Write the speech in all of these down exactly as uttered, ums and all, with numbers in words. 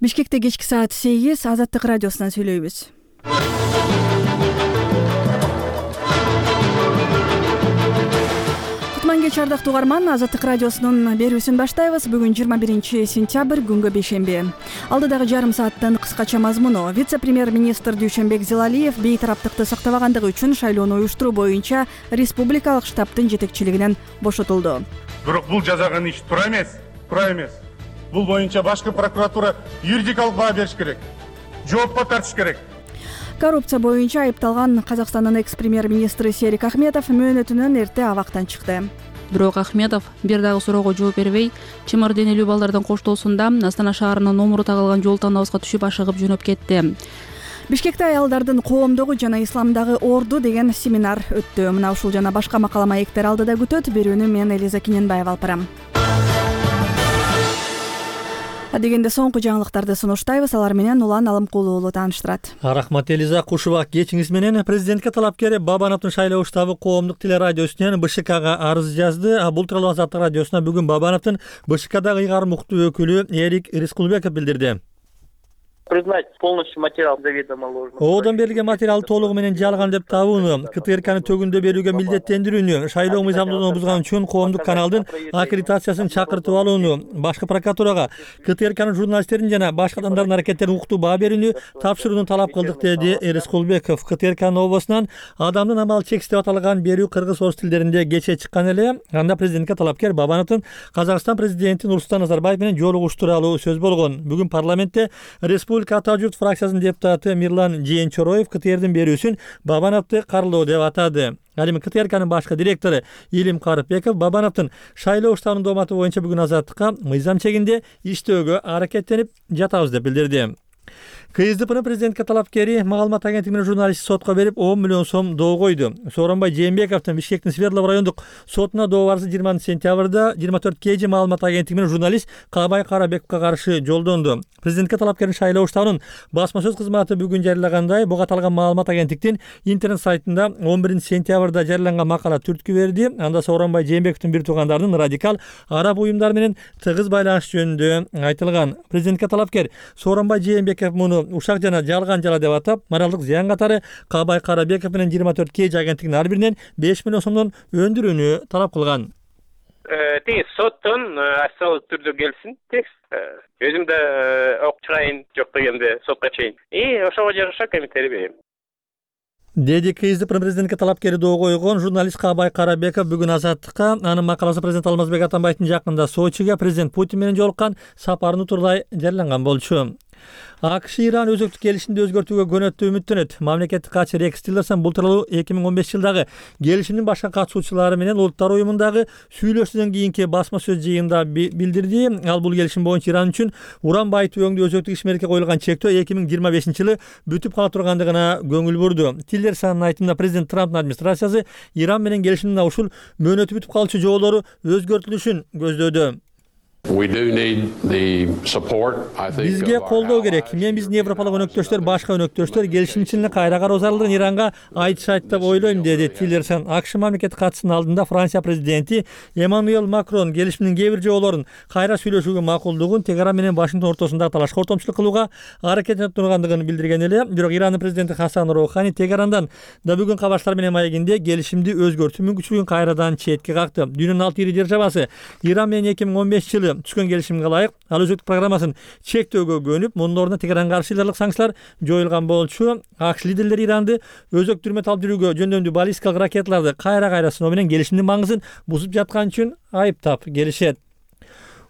Бишкекте кечки саат сегиз, Азаттык радиосунан сүйлөйбүз. Кутман кеч ардактуу угарман, Азаттык радиосунун берүүсүн баштайбыз. Бүгүн жыйырма биринчи сентябрь, күнгө бейшемби. Алдыдагы жарым сааттын кыскача мазмуну: вице-премьер-министр Дүйшөнбек Зилалиев бейтараптыкты сактабагандыгы үчүн шайлоону уюштуруу боюнча республикалык штабтын жетекчилигинен бошотулду. Бирок бул жазаган иш туура эмес, туура эмес. Бул боюнча башкы прокуратура юридикалык баа бериш керек, жоопко тартыш керек. Коррупция боюнча айыпталган Казакстандын экс-премьер-министри Серик Ахметов мөөнөтүнөн эрте абактан чыкты. Бирок Ахметов бир дагы суроого жооп бербей, чымыр денелүү балдардын коштоосунда Астана шаарынын номуру тагылган жол тандабызга түшүп ашыгып жөнөп кетти. Бишкекте аялдардын коомдугу жана исламдагы орду деген семинар өттү. Мына ушул жана башка макала маектер алдыда күтөт. Берүүнү мен Элиза Кененбаева алып барам. Дегенде соңку жаңылыктарды сунуштайбыз. Алар менен Улан Алымкулуу уулу тааныштырат. Рахмат Элиза, кушубак кечиңиз менен. Президентке талапкер Бабановдун шайлоо штабы коомдук телерадиосунан БШКга арыз жазды. Бул тууралуу Азаттык радиосуна бүгүн Бабановдун БШКдагы ыйгарым уктуу өкүлү Эрик Рискулбеков билдирди. Признать полностью материал заведомо ложным. Оодон берилген материал толугу менен жалган деп табууну, КТРКны төгүндө берүүгө милдеттендирүүнү, шайлоо мыйзамдуулугун бузган үчүн коомдук каналдын аккредитациясын чакыртып алууну, башкы прокуратурага КТРКнын журналисттерин жана башка адамдардын аракеттерине уктуу баа берүүнү тапшырууну талап кылдык, деди Рискулбеков. КТРКнын обосунан адамдын амалы чексиз деп аталган берүү кыргыз орус тилдеринде кечээ чыккан эле. Анда президентке талапкер Бабановдун Казакстан президенти Нурсултан Назарбаев менен жолугуш тууралуу сөз болгон. Бүгүн парламентте республика Ата журт фракциясынын депутаты Мирлан Жээнчороев КТРдин берүүсүн Бабановду карлоо деп атады. Ал эми КТРКнын башкы директору Илим Карыпбеков Бабановдун шайлоо штабынын дооматы боюнча бүгүн Азаттыкка мыйзам чегинде иштөөгө аракеттенип жатабыз деп билдирди. КСДПнын президентке талапкери маалымат агенттигинин журналисти сотко берип он миллион сом доо койду. Сооронбай Жээнбековдун Бишкектин Свердлов райондук сотуна доо барысы жыйырманчы сентябрда жыйырма төрт кей жи маалымат агенттигинин журналист Каабай Карабековго каршы жолдонду. Президентке талапкердин шайлоо штабынын басма сөз кызматы бүгүн жарыялагандай, буга аталган маалымат агенттиктин интернет сайтында он биринчи сентябрда жарыяланган макала түрткү берди. Анда Сооронбай Жээнбековдун бир туугандарынын радикал араб уюмдары менен тыгыз байланыш жөнүндө айтылган. Президентке талапкер Сооронбай Жээнбеков муну ушак жана жалган жала деп атап, моралдык зыян катары Каабай Карабеков менен жыйырма төрт кей жи агенттигинин ар биринен беш миллион сомдон өндүрүүнү талап кылган. Тиги соттон официалдуу түрдө келсин текст. Өзүм да окуп чыгайын, жок дегенде сотко чейин. И ошого жараша комментарий берем. Деди КСДПнын президентке талапкери доо койгон журналист Каабай Карабеков бүгүн Азаттыкка. Анын макаласы президент Алмазбек Атамбаевдин жакында Сочиге президент Путин менен жолуккан сапарын туралай жарыяланган болчу. АКШ Иран өзөктүк келишимди өзгөртүүгө көнөттүү үмүттөнөт. Мамлекеттик катчы Рекс Тиллерсон бул тууралуу эки миң он бешинчи жылдагы келишимдин башка катышуучулары менен Улуттар уюмундагы сүйлөшүүдөн кийинки басма сөз жыйынында билдирди. Ал бул келишим боюнча Иран үчүн уран байытуу өңдүү өзөктүк ишмердикке коюлган чектөө эки миң жыйырма бешинчи жылы бүтүп кала тургандыгына көңүл бурду. Тиллерсонун айтымында президент Трамптын администрациясы Иран менен келишимдин ушул мөөнөтү бүтүп калчу жоболору өзгөртүлүшүн көздөдү. Бизге колдоо керек. Мен биздин европалык өнөктөштөр, башка өнөктөштөр келишим ичинде кайра кароо зарылдыгын Иранга айтышат деп ойлойм, деди Тиллерсон. АКШ мамлекеттик катчысынын алдында Франция президенти Эммануэл Макрон келишимдин кээ бир жоболорун кайра сүйлөшүүгө макулдугун Тегеран менен Вашингтон ортосундагы талашка ортомчулук кылууга аракеттенип тургандыгын билдирген эле. Бирок Ирандын президенти Хасан Роухани Тегерандан да бүгүн кабарчылар менен маегинде келишимди өзгөртүү мүмкүнчүлүгүн кайрадан четке какты. Дүйнөнүн алты ири державасы Иран менен эки миң он бешинчи жылы түшкөн келишимге ылайык ал өзөктүк программасын чектөөгө көнүп, мунун ордуна Тегеранга каршы ыйларлык санкциялар жоюлган болчу. АКШ лидерлери Иранды өзөк түрмөт алып жүрүүгө жөндөмдүү баллистикалык ракеталарды кайра кайра сыноо менен келишимдин маңызын бузуп жаткан үчүн айыптап келишет.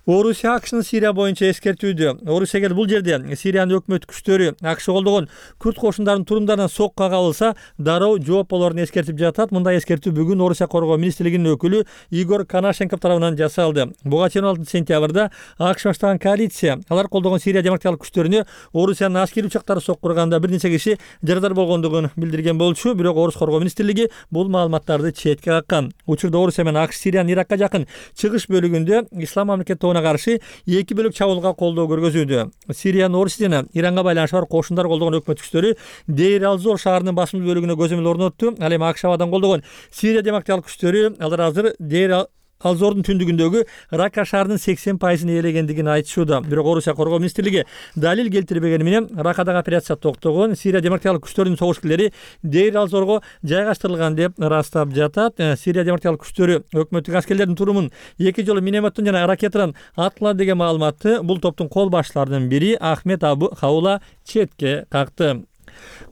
Орусия АКШнын Сирия боюнча эскертүүдө. Орусия кел бул жерде Сириянын өкмөт күчтөрү АКШ колдогон күрд кошундарынын турумдарынан сокка кабылса, дароо жооп болорун эскертип жатат. Мындай эскертүү бүгүн Орусия коргоо министрлигинин өкүлү Игорь Конашенков тарабынан жасалды. Буга чейин он алтынчы сентябрда АКШ баштаган коалиция алар колдогон Сирия демократиялык күчтөрүнө Орусиянын аскерий учактары соккурганда бир нече киши жарадар болгондугун билдирген болчу. Бирок Орус коргоо министрлиги бул маалыматтарды четке каккан. Учурда Орусия менен АКШ Сириянын Иракка жакын чыгыш бөлүгүндө ислам мамлекети каршы эки бөлөк чабуулга колдоо көргөзүүдө. Сириянын Орус жана Иранга байланышы бар кошундар колдогон өкмөт күчтөрү Дейр ал-Зор шаарынын басымдуу бөлүгүнө көзөмөл орнотту. Ал эми АКШ абадан колдогон Сирия демократиялык күчтөрү алар азыр Дейр ал Зордун түндүгүндөгү Рака шаарынын сексен пайызын ээлегендигин айтышууда. Бирок Орусия коргоо министрлиги далил келтирбегени менен Ракадагы операция токтогон, Сирия демократиялык күчтөрүнүн согуш-килери Дейр ал-Зорго жайгаштырылган деп ырастап жатат. Сирия демократиялык күчтөрү өкмөттүк аскерлердин турумун эки жолу минометтон жана ракетадан аткылады деген маалыматты бул топтун кол башчыларынын бири Ахмет Абу Хаула четке какты.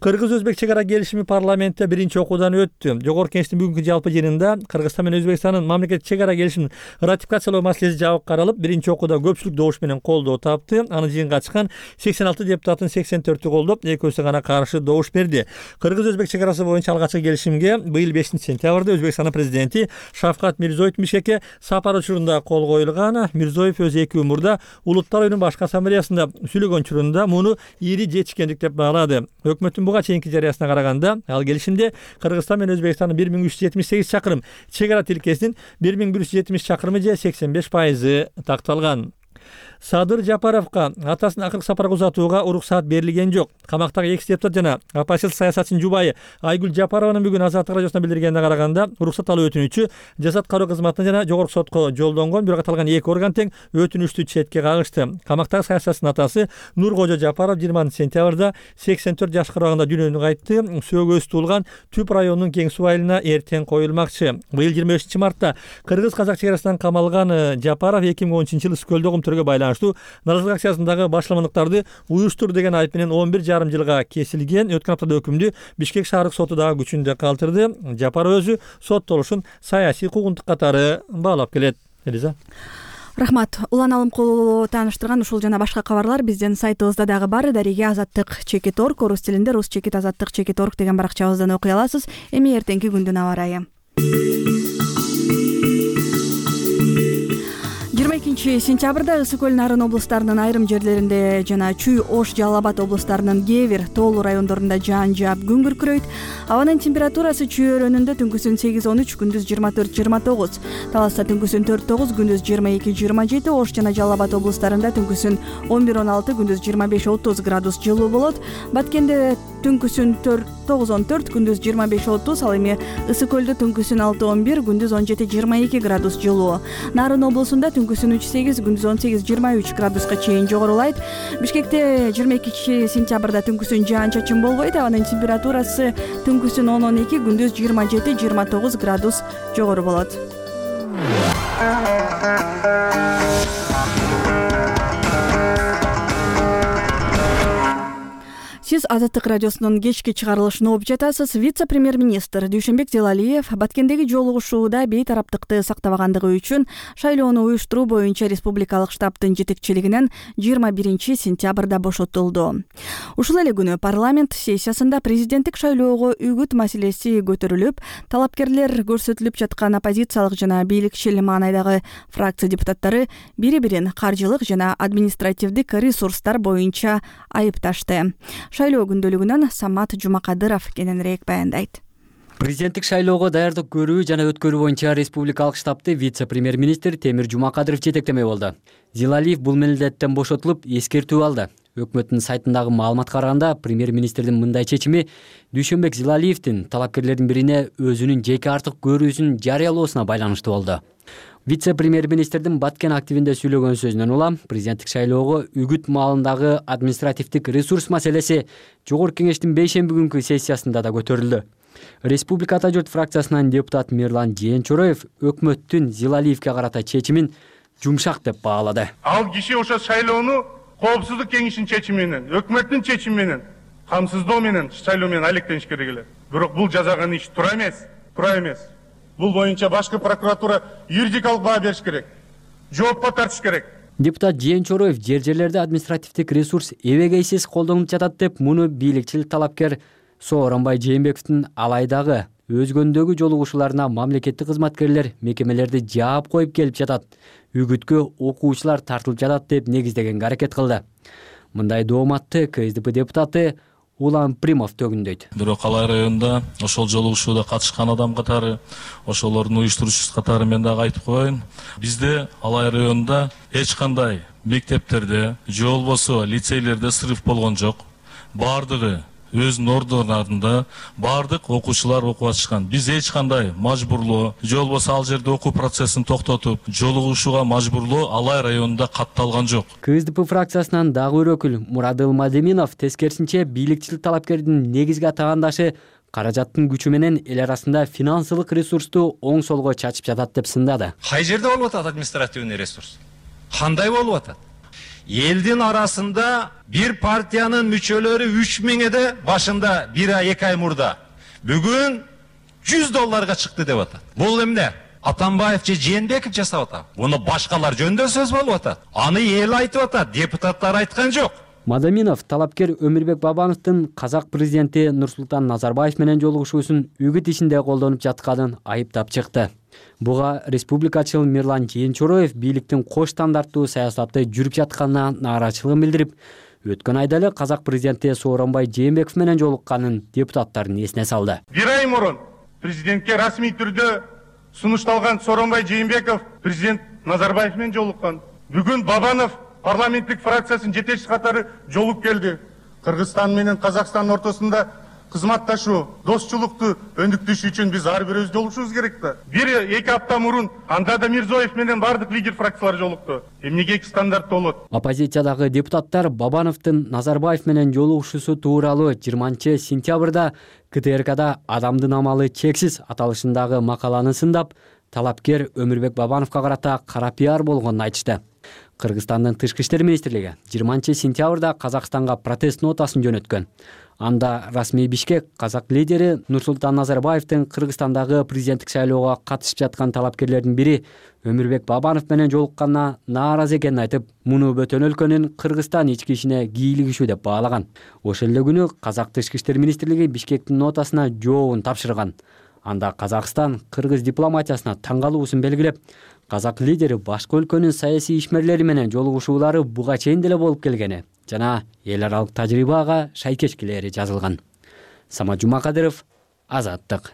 Кыргыз-Өзбек чек ара келишими парламентте биринчи окуудан өттү. Жогорку Кеңештин бүгүнкү жалпы жыйынында Кыргызстан менен Өзбекстандын мамлекеттик чек ара келишимин ратификациялоо маселеси жабык каралып, биринчи окууда көпчүлүк добуш менен колдоо тапты. Аны жыйынга чыккан сексен алты депутаттын сексен төртү колдоп, экөөсү гана каршы добуш берди. Кыргыз-Өзбек чек арасы боюнча алгачкы келишимге быйыл бешинчи сентябрда Өзбекстандын президенти Шавкат Мирзиёевдин Бишкекке сапар учурунда кол коюлган. Мирзиёев өзү эки күн мурда Улуттар оюнунун башкы ассамблеясында сүйлөгөн учурунда муну ири жетишкендик деп баалады. Өкмөттүн буга чейинки жарыясына караганда, ал келишимде Кыргызстан менен Өзбекстандын бир миң үч жүз жетимиш сегиз чакырым чек ара тилкесинин бир миң бир жүз жетимиш чакырымы же сексен беш пайызы такталган. Садыр Жапаровго атасынын акыркы сапарга узатууга уруксаат берилген жок. Камактагы экс депутат жана оппозиция саясатчынын жубайы Айгүл Жапарованын бүгүн Азаттык радиосуна билдиргенине караганда, уруксат алуу өтүнүчү Жазат кароо кызматына жана жогорку сотко жолдонгон, бирок аталган эки орган тең өтүнүчтү четке кагышты. Камактагы саясатчынын атасы Нуркожо Жапаров жыйырманчы сентябрда сексен төрт жашка караганда дүйнөнү кайтты. Сөөгөсү туулган Түп районунун Кең суу айылына эртең коюлмакчы. Быйыл жыйырма бешинчи мартта кыргыз-казак чек арасынан камалган Жапаров эки миң он үчүнчү жылы Скөлдө көмтөргө байланыштуу нааразылык акциясындагы башламандыктарды уюштур деген айып менен он бир жарым жылга кесилген. Өткөн аптада өкүмдү Бишкек шаардык соту дагы күчүндө калтырды. Жапаров өзү соттолушун саясий куугунтук катары баалап келет. Элиза. Рахмат. Улан Алымкулу тааныштырган ушул жана башка кабарлар биздин сайтыбызда дагы бар. Дариге азаттык чекит точка орг, орус тилинде рус чекит азаттык чекит точка орг деген баракчабыздан окуй аласыз. Эми эртеңки күндүн аба ырайы. жыйырма экинчи сентябрда Ысык көл Нарын облустарынын айрым жерлеринде жана Чүй, Ош, Жалал Абад облустарынын кээ бир тоолуу райондорунда жаан жаап күн күркүрөйт. Абанын температурасы Чүй өрөөнүндө түнкүсүн сегиз он үч, күндүз жыйырма төрт жыйырма тогуз, Таласта түнкүсүн төрт тогуз, күндүз жыйырма эки жыйырма жети, Ош жана Жалал Абад облустарында түнкүсүн он бир он алты, күндүз жыйырма беш отуз градус жылуу болот. Баткенде түнкүсүн тогуз он төрт, күндүз жыйырма беш отуз, ал эми Ысык көлдө түнкүсүн алты он бир, күндүз он жети жыйырма эки градус жылуу. Нарын облусунда түнкүсүн үч сегиз, күндүз он сегиз жыйырма үч градуска чейин жогорулайт. Бишкекте жыйырма экинчи сентябрда түнкүсүн жаан-чачын болбойт. Абанын температурасы түнкүсүн он он эки, күндүз жыйырма жети жыйырма тогуз градус жогору болот. Сиз Азаттык радиосунун кечки чыгарылышын угуп жатасыз. Вице-премьер-министр Дүйшөнбек Зилалиев Баткендеги жолугушууда бейтараптыкты сактабагандыгы үчүн шайлоону уюштуруу боюнча республикалык штабтын жетекчилигинен жыйырма биринчи сентябрда бошотулду. Ушул эле күнү парламент сессиясында президенттик шайлоого үгүт маселеси көтөрүлүп, талапкерлер көрсөтүлүп жаткан оппозициялык жана бийликчил маанайдагы фракция депутаттары бири-бирин каржылык жана административдик ресурстар боюнча айыпташты. Шайлоо күндөлүгүнөн Самат Жумакадыров кененирээк баяндайт. Президенттик шайлоого даярдык көрүү жана өткөрүү боюнча республикалык штабты вице-премьер-министр Темир Жумакадыров жетектемек болду. Зилалиев бул милдеттен бошотулуп, эскертүү алды. Өкмөттүн сайтындагы маалыматка караганда, премьер-министрдин мындай чечими Дүйшөнбек Зилалиевдин талапкерлердин бирине өзүнүн жеке артык көрүүсүн жарыялоосуна байланыштуу болду. Вице-премьер-министрдин Баткен активинде сүйлөгөн сөзүнөн улам президенттик шайлоого үгүт маалындагы административдик ресурс маселеси Жогорку Кеңештин бейшемби күнкү сессиясында да көтөрүлдү. Республика Ата журт фракциясынан депутат Мирлан Жээнчороев өкмөттүн Зилалиевге карата чечимин жумшак деп баалады. Ал киши ошо шайлоону коопсуздук кеңешинин чечими менен, өкмөттүн чечими менен, камсыздоо менен шайлоо менен алектениш керек эле. Бирок бул жасаган иш туура эмес, туура эмес. Бул боюнча башкы прокуратура юридикалык баа бериш керек. Жоопко тартыш керек. Депутат Жээнчороев жер-жерлерде административдик ресурс эбегейсиз колдонулуп жатат деп муну бийликчил талапкер Сооронбай Жээнбековдун алайдагы өзгөндөгү жолугушууларына мамлекеттик кызматкерлер мекемелерди жаап коюп келип жатат, үгүткө окуучулар тартылып жатат деп негиздегенге аракет кылды. Мындай дооматты КСДП депутаты Улан Примов төгүндөйт. Бирок Алай районунда ошол жолугушууда катышкан адам катары, ошолордун уюштуруучусу катары мен дагы айтып коеюн. Бизде Алай районунда эч кандай мектептерде, же болбосо лицейлерде срыв болгон жок. Бардыгы өзүнүн ордуна баардык окуучулар окуп атышкан. Биз эч кандай мажбурлоо же болбосо ал жерде окуу процессин токтотуп жолугушууга мажбурлоо Алай районунда катталган жок. КСДП фракциясынан дагы бир өкүл Мурадыл Мадеминов тескерисинче бийликчил талапкердин негизги атагандашы каражаттын күчү менен эл арасында финансылык ресурсту оң солго чачып жатат деп сындады. Кай жерде болуп атат административный ресурс? Кандай болуп атат? Элдин арасында бир партиянын мүчөлөрү үч миңде башында бир ай эки ай мурда бүгүн жүз долларга чыкты деп атат. Бул эмне? Атамбаев же Жээнбеков жасап атат. Буну башкалар жөнүндө сөз болуп атат. Аны эл айтып атат, депутаттар айткан жок. Мадаминов талапкер Өмүрбек Бабановдун казак президенти Нурсултан Назарбаев менен жолугушуусун үгүт ишинде колдонуп жатканын айыптап чыкты. Буга республикачыл Мирлан Жээнчороев бийликтин кош стандарттуу саясаты жүрүп жатканына нааразычылыгын билдирип, өткөн айда эле казак президенти Сооронбай Жээнбеков менен жолукканын депутаттардын эсине салды. Бир ай мурун президентке расмий түрдө сунушталган Сооронбай Жээнбеков президент Назарбаев менен жолуккан. Бүгүн Бабанов парламенттик фракциясынын жетекчиси катары жолуп келди. Кыргызстан менен Казакстандын ортосунда кызматташуу, достчулукту өндүктүш үчүн биз ар бирибиз жолугушубуз керек да. Бир эки апта мурун анда да Мирзоев менен бардык лидер фракциялар жолукту. Эмнеге эки стандарт болот? Оппозициядагы депутаттар Бабановдун Назарбаев менен жолугушуусу тууралуу жыйырманчы сентябрда КТРКда адамдын амалы чексиз аталышындагы макаланы сындап, талапкер Өмүрбек Бабановго карата кара пиар болгонун айтышты. Кыргызстандын тышкы иштер министрлиги жыйырманчы сентябрда Казакстанга протест нотасын жөнөткөн. Анда расмий Бишкек казак лидери Нурсултан Назарбаевдин Кыргызстандагы президенттик шайлоого катышып жаткан талапкерлердин бири Өмүрбек Бабанов менен жолукканына нааразы экенин айтып, муну бөтөн өлкөнүн Кыргызстан ички ишине кийлигишүү деп баалаган. Ошол эле күнү Казак тышкы иштер министрлиги Бишкектин нотасына жообун тапшырган. Анда Казакстан кыргыз дипломатиясына таң калуусун белгилеп, казак лидери башка өлкөнүн саясий ишмерлери менен жолугушуулары буга чейин деле болуп келгени жана эл аралык тажрыйбага шайкешкилери жазылган. Самат Жумакадыров, Азаттык.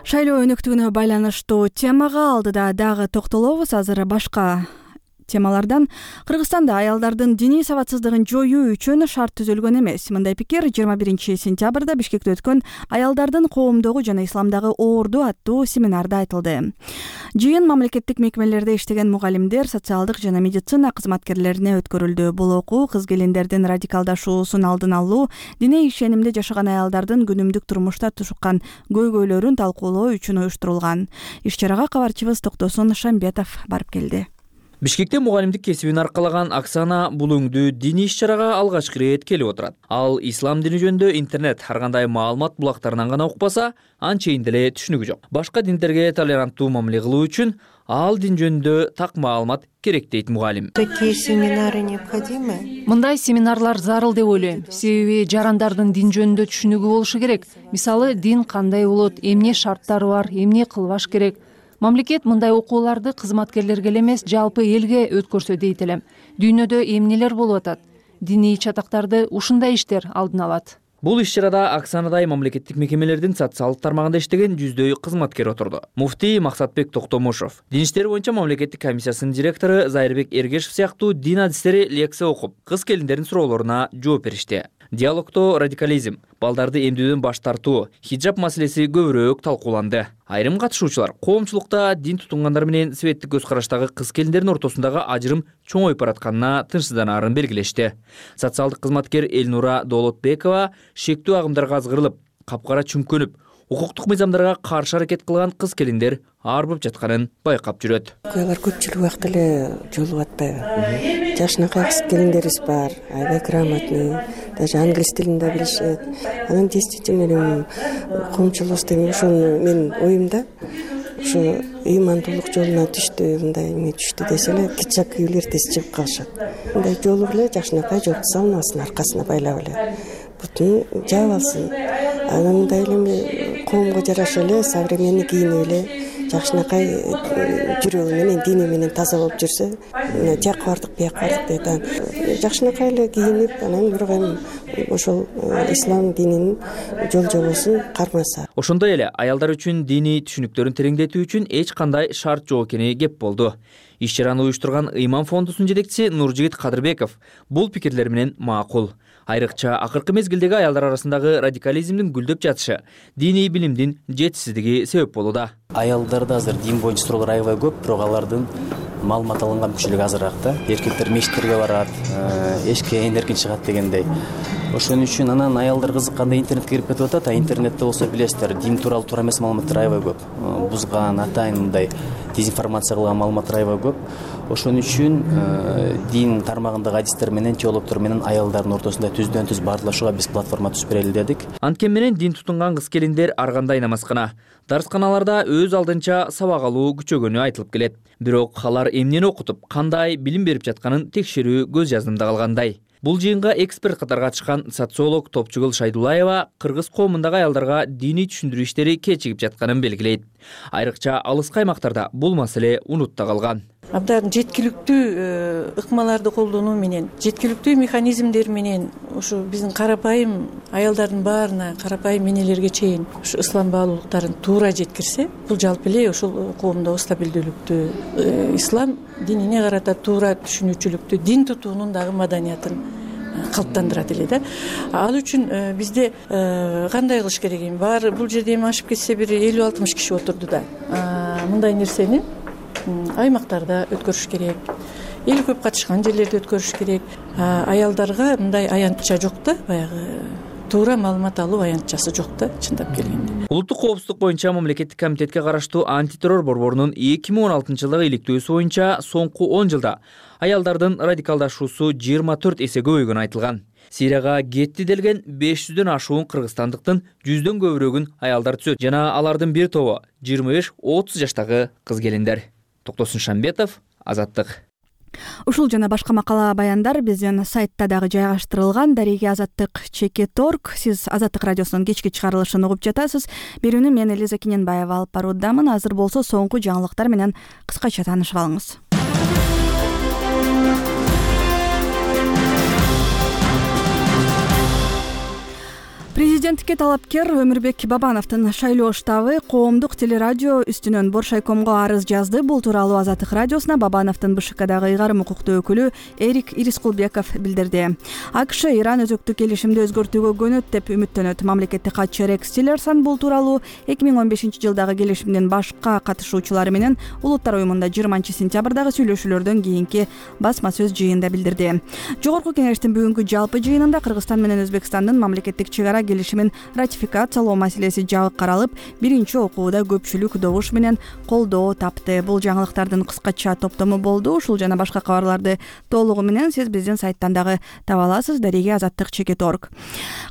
Шайлоо өнөктүгүнө байланыштуу темага алдыда дагы токтолобуз. Азыр башка темалардан. Кыргызстанда аялдардын диний сабатсыздыгын жоюу үчүн шарт түзүлгөн эмес. Мындай пикир жыйырма биринчи сентябрда Бишкекте өткөн аялдардын коомдогу жана исламдагы оорду аттуу семинарда айтылды. Жыйын мамлекеттик мекемелерде иштеген мугалимдер, социалдык жана медицина кызматкерлерине өткөрүлдү. Бул окуу кыз-келиндердин радикалдашуусун алдын алуу, диний ишенимде жашаган аялдардын күнүмдүк турмушта тушуккан көйгөйлөрүн талкуулоо үчүн уюштурулган. Иш-чарага кабарчыбыз Токтосун Шамбетов барып келди. Бишкекте мугалимдик кесибин аркалаган Оксана бул өңдүү диний иш-чарага алгачкы ирет келип отурат. Ал ислам дини жөнүндө интернет ар кандай маалымат булактарынан гана укпаса, анчейин деле түшүнүгү жок. Башка диндерге толеранттуу мамиле кылуу үчүн ал дин жөнүндө так маалымат керек дейт мугалим. Такие семинары необходимы? Мындай семинарлар зарыл деп ойлойм. Себеби жарандардын дин жөнүндө түшүнүгү болушу керек. Мисалы, дин кандай болот, эмне шарттары бар, эмне кылбаш керек. Мамлекет мындай окууларды кызматкерлерге эмес, жалпы элге өткөрсө дейт элем. Дүйнөдө эмнелер болуп атат? Диний чатактарды ушундай иштер алдын алат. Бул иш-чарада Оксанадай мамлекеттик мекемелердин социалдык тармагында иштеген жүздөй кызматкер отурду. Муфтий Максатбек Токтомушов, Дин иштери боюнча мамлекеттик комиссиясынын директору Зайырбек Эргешев сыяктуу дин адистери лекция окуп, кыз-келиндердин суроолоруна жооп беришти. Диалогто радикализм, балдарды эмдүүдөн баш тартуу, хиджаб маселеси көбүрөөк талкууланды. Айрым катышуучулар коомчулукта дин тутунгандар менен светтик көз караштагы кыз-келиндердин ортосундагы ажырым чоңоюп баратканына тынчсызданаарын белгилешти. Социалдык кызматкер Элнура Доолотбекова шектүү агымдарга азгырылып, капкара чүмкөнүп, укуктук мыйзамдарга каршы аракет кылган кыз-келиндер арбып жатканын байкап жүрөт. Алар көпчүлүк убакта эле жолугуп атпайбы? Жашынакай кыз-келиндерибиз бар, аябай грамотный, даже англис тилин да билишет. Анан действительно коомчулук деген ошону мен оюмда ушу ыймандуулук жолуна түштү, мындай эме түштү десе эле кичак күйүүлөр тез чыгып калышат. Мындай жолуп эле жашынакай жолду салмасын аркасына байлап эле. бутун жаап алсын. Анан мындай эле коомго жараша эле современный кийинип эле жакшынакай жүрөгү менен дини менен таза болуп жүрсө, жакка бардык, бияка бардык дейт. Анан жакшынакай эле кийинип, анан бирок эми ошол ислам дининин жол жобосун кармаса. Ошондой эле аялдар үчүн диний түшүнүктөрүн тереңдетүү үчүн эч кандай шарт жок экени кеп болду. Иш чараны уюштурган Ыйман фондусунун жетекчиси Нуржигит Кадырбеков бул пикирлер менен макул. Айрыкча акыркы мезгилдеги аялдар арасындагы радикализмдин гүлдөп жатышы диний билимдин жетишсиздиги себеп болууда. Аялдарда азыр дин боюнча суроолор аябай көп, бирок алардын маалымат алынган мүчөлүгү азыраак да. Эркектер мечиттерге барат, эшикке эң эркин чыгат дегендей. Ошон үчүн анан аялдар кызыккандай интернетке кирип кетип атат. А интернетте болсо билесиздер, дин тууралуу туура эмес маалыматтар аябай көп. Бузган, атайын мындай дезинформация кылган маалыматтар аябай көп. Ошон үчүн дин тармагындагы адистер менен, теологдор менен аялдардын ортосунда түздөн түз баардашууга биз платформа түзүп берели дедик. Анткен менен дин тутунган кыз-келиндер ар кандай намазкана, дарсканаларда өз алдынча сабак алуу күчөгөнү айтылып келет. Бирок алар эмнени окутуп, кандай билим берип жатканын текшерүү көз жаздымда калгандай. Бул жыйынга эксперт катары катышкан социолог Топчугул Шайдулаева кыргыз коомундагы аялдарга диний түшүндүрүү иштери кечигип жатканын белгилейт. Айрыкча алыскы аймактарда бул маселе унутта калган. Абдан жеткиликтүү ыкмаларды колдонуу менен, жеткиликтүү механизмдер менен ушу биздин карапайым аялдардын баарына, карапайым энелерге чейин ушу ислам баалуулуктарын туура жеткирсе, бул жалпы эле ошол коомдогу стабилдүүлүктү, ислам динине карата туура түшүнүүчүлүктү, дин тутуунун дагы маданиятын калыптандырат эле да. Ал үчүн бизде кандай кылыш керек эми? Баары бул жерде эми ашып кетсе бир элүү алтымыш киши отурду да. Мындай нерсени аймактарда өткөрүш керек, эл көп катышкан жерлерде өткөрүш керек. Аялдарга мындай аянтча жок да, баягы туура маалымат алуу аянтчасы жок да, чындап келгенде. Улуттук коопсуздук боюнча мамлекеттик комитетке караштуу антитеррор борборунун эки миң он алтынчы жылдагы иликтөөсү боюнча соңку он жылда аялдардын радикалдашуусу жыйырма төрт эсе көбөйгөнү айтылган. Сирияга кетти делген беш жүздөн ашуун кыргызстандыктын жүздөн көбүрөгүн аялдар түзөт жана алардын бир тобу жыйырма беш отуз жаштагы кыз-келиндер. Токтосун Шамбетов, Азаттык. Ушул жана башка макала баяндар биздин сайтта дагы жайгаштырылган. Дареги Азаттык чекит орг. Сиз Азаттык радиосунун кечки чыгарылышын угуп жатасыз. Берүүнү мен Элиза Кененбаева алып баруудамын. Азыр болсо соңку жаңылыктар менен кыскача таанышып алыңыз. Президенттикке талапкер Өмүрбек Бабановдун шайлоо штабы коомдук телерадио үстүнөн Боршайкомго арыз жазды. Бул тууралуу Азаттык радиосуна Бабановдун БШКдагы ыйгарым укуктуу өкүлү Эрик Ирискулбеков билдирди. АКШ Иран өзөктү келишимди өзгөртүүгө көнөт деп үмүттөнөт. Мамлекеттик катчы Рекс Тиллерсон бул тууралуу эки миң он бешинчи жылдагы келишимдин башка катышуучулары менен Улуттар уюмунда жыйырманчы сентябрдагы сүйлөшүүлөрдөн кийинки басма сөз жыйында билдирди. Жогорку кеңештин бүгүнкү жалпы жыйынында Кыргызстан менен Өзбекстандын мамлекеттик чек ара келишимин ратификациялоо маселеси жабык каралып, биринчи окууда көпчүлүк добуш менен колдоо тапты. Бул жаңылыктардын кыскача топтому болду. Ушул жана башка кабарларды толугу менен сиз биздин сайттан дагы таба аласыз. Дареги Азаттык чекит орг.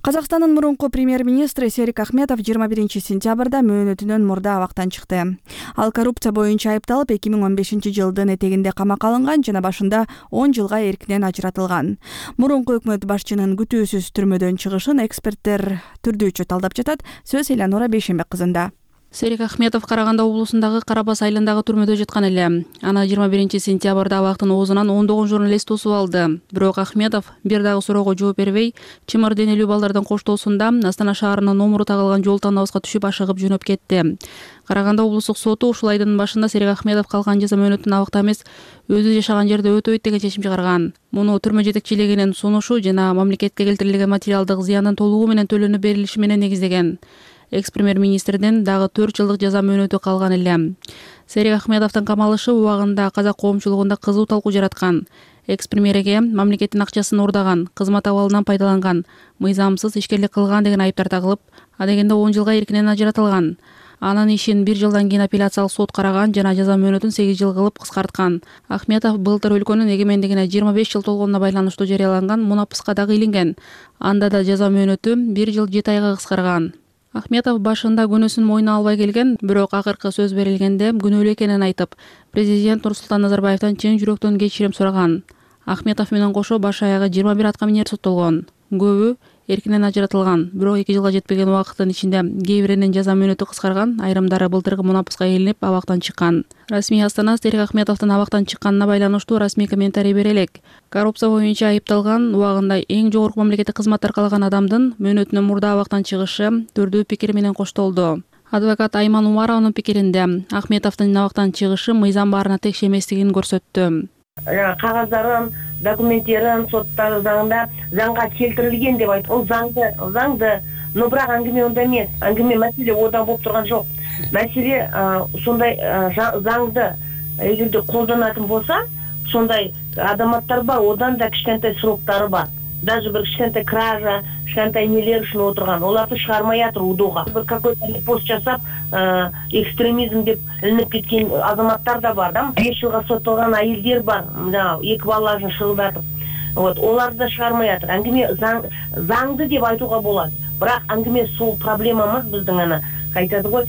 Казакстандын мурунку премьер-министри Серик Ахметов жыйырма биринчи сентябрда мөөнөтүнөн мурда абактан чыкты. Ал коррупция боюнча айыпталып эки миң он бешинчи жылдын этегинде камакка алынган жана башында он жылга эркинен ажыратылган. Мурунку өкмөт башчынын күтүүсүз түрмөдөн чыгышын эксперттер түрдүүчү талдап жатат. Сөз Элянура Бейшенбек кызында. Серик Ахметов Караганда облусундагы Карабас айылындагы түрмөдө жаткан эле. Аны жыйырма биринчи сентябрда абактын оозунан ондогон журналист тосуп алды. Бирок Ахметов бир дагы суроого жооп бербей, чымыр денелүү балдардын коштоосунда Астана шаарынын номуру тагылган жол танабызга түшүп ашыгып жөнөп кетти. Караганда облустук соту ушул айдын башында Серик Ахметов калган жаза мөөнөтүн абакта эмес, өзү жашаган жерде өтөйт деген чечим чыгарган. Муну түрмө жетекчилигинин сунушу жана мамлекетке келтирилген материалдык зыяндын толугу менен төлөнүп берилиши менен негиздеген. Экс-премьер-министрдин дагы төрт жылдык жаза мөөнөтү калган эле. Серик Ахметовдун камалышы убагында казак коомчулугунда кызуу талкуу жараткан. Экс-премьерге мамлекеттин акчасын уурдаган, кызмат абалынан пайдаланган, мыйзамсыз ишкерлик кылган деген айыптар тагылып, адегенде он жылга эркинен ажыратылган. Анын ишин бир жылдан кийин апелляциялык сот караган жана жаза мөөнөтүн сегиз жыл кылып кыскарткан. Ахметов былтыр өлкөнүн эгемендигине жыйырма беш жыл толгонуна байланыштуу жарыяланган мунапыска дагы илинген. Анда да жаза мөөнөтү бир жыл жети айга кыскарган. Ахметов башында күнөөсүн мойнуна албай келген, бирок акыркы сөз берилгенде күнөөлүү экенин айтып, президент Нурсултан Назарбаевтан чын жүрөктөн кечирим сураган. Ахметов менен кошо баш аягы жыйырма бир аткаминер соттолгон. Көбү эркинен ажыратылган, бирок эки жылга жетпеген убакыттын ичинде кээ биринин жаза мөөнөтү кыскарган, айрымдары былтыркы мунапыска ээлинип абактан чыккан. Расмий астана Серик Ахметовдун абактан чыкканына байланыштуу расмий комментарий бере элек. Коррупция боюнча айыпталган, убагында эң жогорку мамлекеттик кызмат аркалаган адамдын мөөнөтүнөн мурда абактан чыгышы түрдүү пикир менен коштолду. Адвокат Айман Умарованын пикиринде Ахметовдун абактан чыгышы мыйзам баарына текш эместигин көрсөттү. Кагаздарын, документтерин соттагы заңда заңга келтирилген деп айтып, ол заңды, заңды, но бирок аңгеме онда эмес. Аңгеме маселе ода болуп турган жок. Маселе сондай заңды эгерде колдонатын болса, сондай адаматтар бар, одан да кичинекей сроктары бар. Даже bir кичинекей кража, кичинекей нелер үчүн отурган. Оларды чыгармай атыр удуга. Bir какой-то пост жасап, экстремизм деп илинип кеткен азаматтар да бар, да? беш жылга соттолгон айылдар бар, эки балаларын шылдатып. Вот, оларды да чыгармай атыр. Аңгеме заңды деп айтууга болот. Бирок аңгеме сол проблемамыз биздин ана айтады ғой,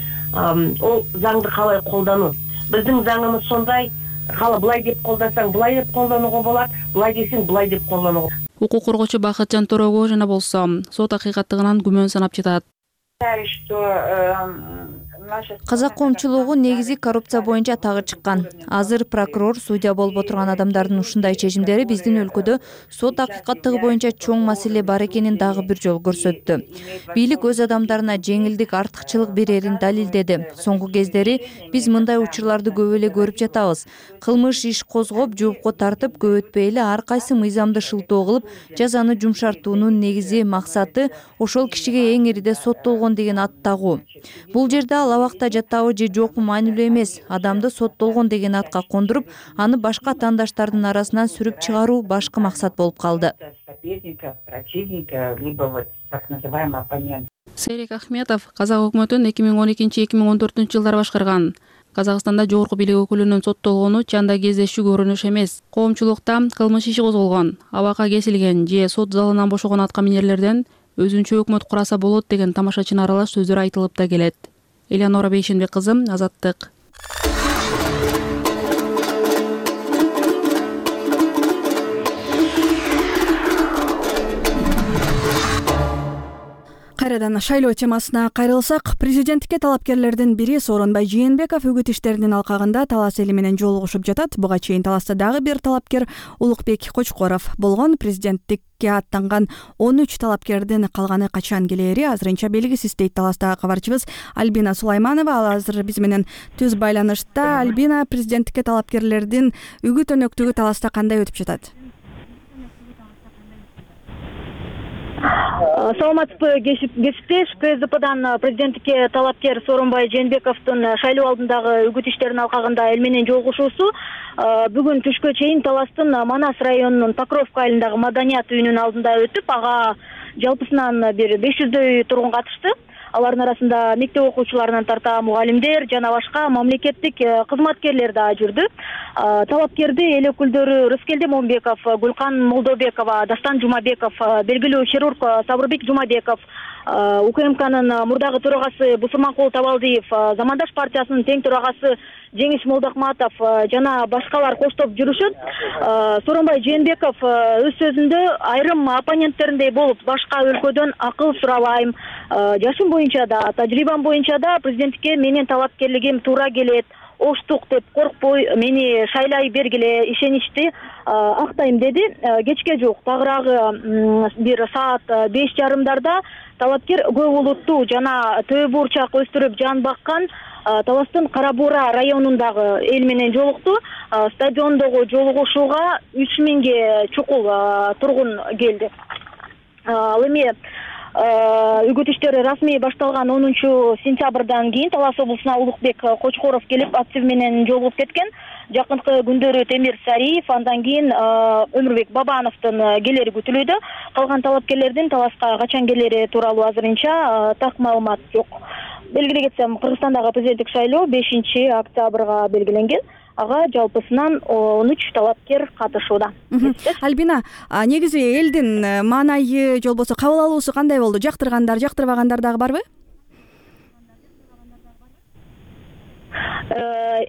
ол заңды калай колдануу. Биздин заңымыз сондай, кала былай деп колдансаң, былай деп колдонууга болот, былай десең, былай деп колдонууга. Укук коргоочу Бакытжан Торого жана болсо сот акыйкаттыгынан күмөн санап жатат. Казак коомчулугу негизи коррупция боюнча тагы чыккан. Азыр прокурор, судья болуп отурган адамдардын ушундай чечимдери биздин өлкөдө сот акыйкаттыгы боюнча чоң маселе бар экенин дагы бир жолу көрсөттү. Бийлик өз адамдарына жеңилдик, артыкчылык берерин далилдеди. Соңку кездери биз мындай учурларды көп эле көрүп жатабыз. Кылмыш иш козгоп, жоопко тартып, көп өтпөй эле ар кайсы мыйзамды шылтоо кылып, жазаны жумшартуунун негизи максаты ошол кишиге эң ириде соттолгон деген ат тагуу. Бул жерде ал абакта жатабы же жокпу маанилүү эмес. Адамды соттолгон деген атка кондуруп, аны башка атаандаштардын арасынан сүрүп чыгаруу башкы максат болуп калды. Серик Ахметов казак өкмөтүн эки миң он экинчи эки миң он төртүнчү жылдары башкарган. Казакстанда жогорку бийлик өкүлүнүн соттолгону чанда кездешүү көрүнүш эмес. Коомчулукта кылмыш иши козголгон, абакка кесилген же сот залынан бошогон атка минерлерден өзүнчө өкмөт кураса болот деген тамашачына аралаш сөздөр айтылып да келет. Элеонора Бейшенбек кызы, Азаттык. Кайрадан шайлоо темасына кайрылсак, президенттикке талапкерлердин бири Сооронбай Жээнбеков үгүт иштеринин алкагында талас эли менен жолугушуп жатат. Буга чейин таласта дагы бир талапкер Улукбек Кочкоров болгон. Президенттикке аттанган он үч талапкердин калганы качан келери азырынча белгисиз дейт таластагы кабарчыбыз Альбина Сулайманова. Ал азыр биз менен түз байланышта. Альбина, президенттикке талапкерлердин үгүт өнөктүгү таласта кандай өтүп жатат? Саламатсызбы, кесиптеш. КСДПдан президенттикке талапкер Сооронбай Жээнбековдун шайлоо алдындагы үгүт иштеринин алкагында эл менен жолугушуусу бүгүн түшкө чейин таластын Манас районунун Покровка айылындагы Маданият үйүнүн алдында өтүп, ага жалпысынан бир беш жүздөй тургун катышты. Алардын арасында мектеп окуучуларынан тарта мугалимдер жана башка мамлекеттик кызматкерлер да жүрдү. Талапкерди эл өкүлдөрү Рыскелди Момбеков, Гүлкан Молдобекова, Дастан Жумабеков, белгилүү хирург Сабырбек Жумабеков, УКМКнын мурдагы төрагасы Бусурманкул Табалдиев, Замандаш партиясынын тең төрагасы Жеңиш Молдокматов жана башкалар коштоп жүрүшөт. Сооронбай Жээнбеков өз сөзүндө айрым оппоненттериндей болуп, башка өлкөдөн акыл сурабайм, жашым боюнча да, тажрыйбам боюнча да президенттикке менин талапкерлигим туура келет, оштук деп коркпой мени шайлай бергиле, ишеничти актайм деди. Кечке жок тагыраагы бир саат беш жарымдарда талапкер көп улуттуу жана төө бурчак өстүрүп жан баккан Таластын Кара Буура районундагы эл менен жолукту. Стадиондогу жолугушууга үч миңге чукул тургун келди. Ал эми үгүт иштери расмий башталган онунчу сентябрдан кийин Талас облусуна Улукбек Кочкоров келип актив менен жолугуп кеткен. Жакынкы күндөрү Темир Сариев, андан кийин Өмүрбек Бабановдун келери күтүлүүдө. Калган талапкерлердин Таласка качан келери тууралуу азырынча так маалымат жок. Белгилей кетсем, Кыргызстандагы президенттик шайлоо бешинчи октябрга белгиленген. Ага жалпысынан он үч талапкер катышууда. Альбина, негизи элдин маанайы же болбосо кабыл алуусу кандай болду? Жактыргандар, жактырбагандар дагы барбы?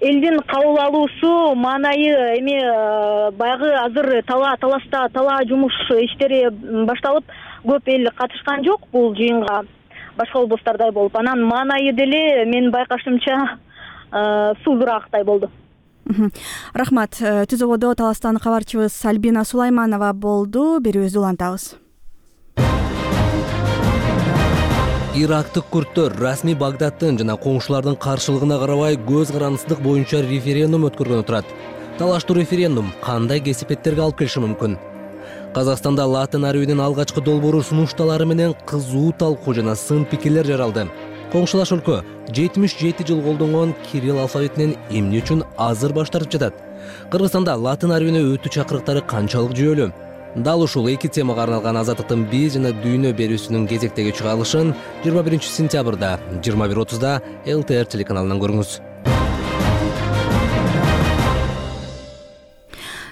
Элдин кабыл алуусу маанайы эми баягы азыр тала таласта тала жумуш иштери башталып, көп эл катышкан жок бул жыйынга, башка облустардай болуп. Анан маанайы деле менин байкашымча суурураактай болду. Рахмат. Түзөбодо Таластан кабарчыбыз Альбина Сулайманова болду. Берүүбүздү улантабыз. Ирактык күрттөр расмий Багдадтын жана коңшулардын каршылыгына карабай көз карандысыздык боюнча референдум өткөргөнү турат. Талаштуу референдум кандай кесипеттерге алып келиши мүмкүн? Казакстанда латын арабинин алгачкы долбоору сунушталары менен кызуу талкуу жана сын пикирлер жаралды. Коңшулаш өлкө жетимиш жети жыл колдонгон кирилл алфавитинен эмне үчүн азыр баш тартып жатат? Кыргызстанда латын арабине өтүү чакырыктары канчалык жүйөлүү? Дал ушул эки темага арналган Азаттыктын биз жана дүйнө берүүсүнүн кезектеги чыгарылышын жыйырма биринчи сентябрда жыйырма бир отузда эл тэ эр телеканалынан көрүңүз.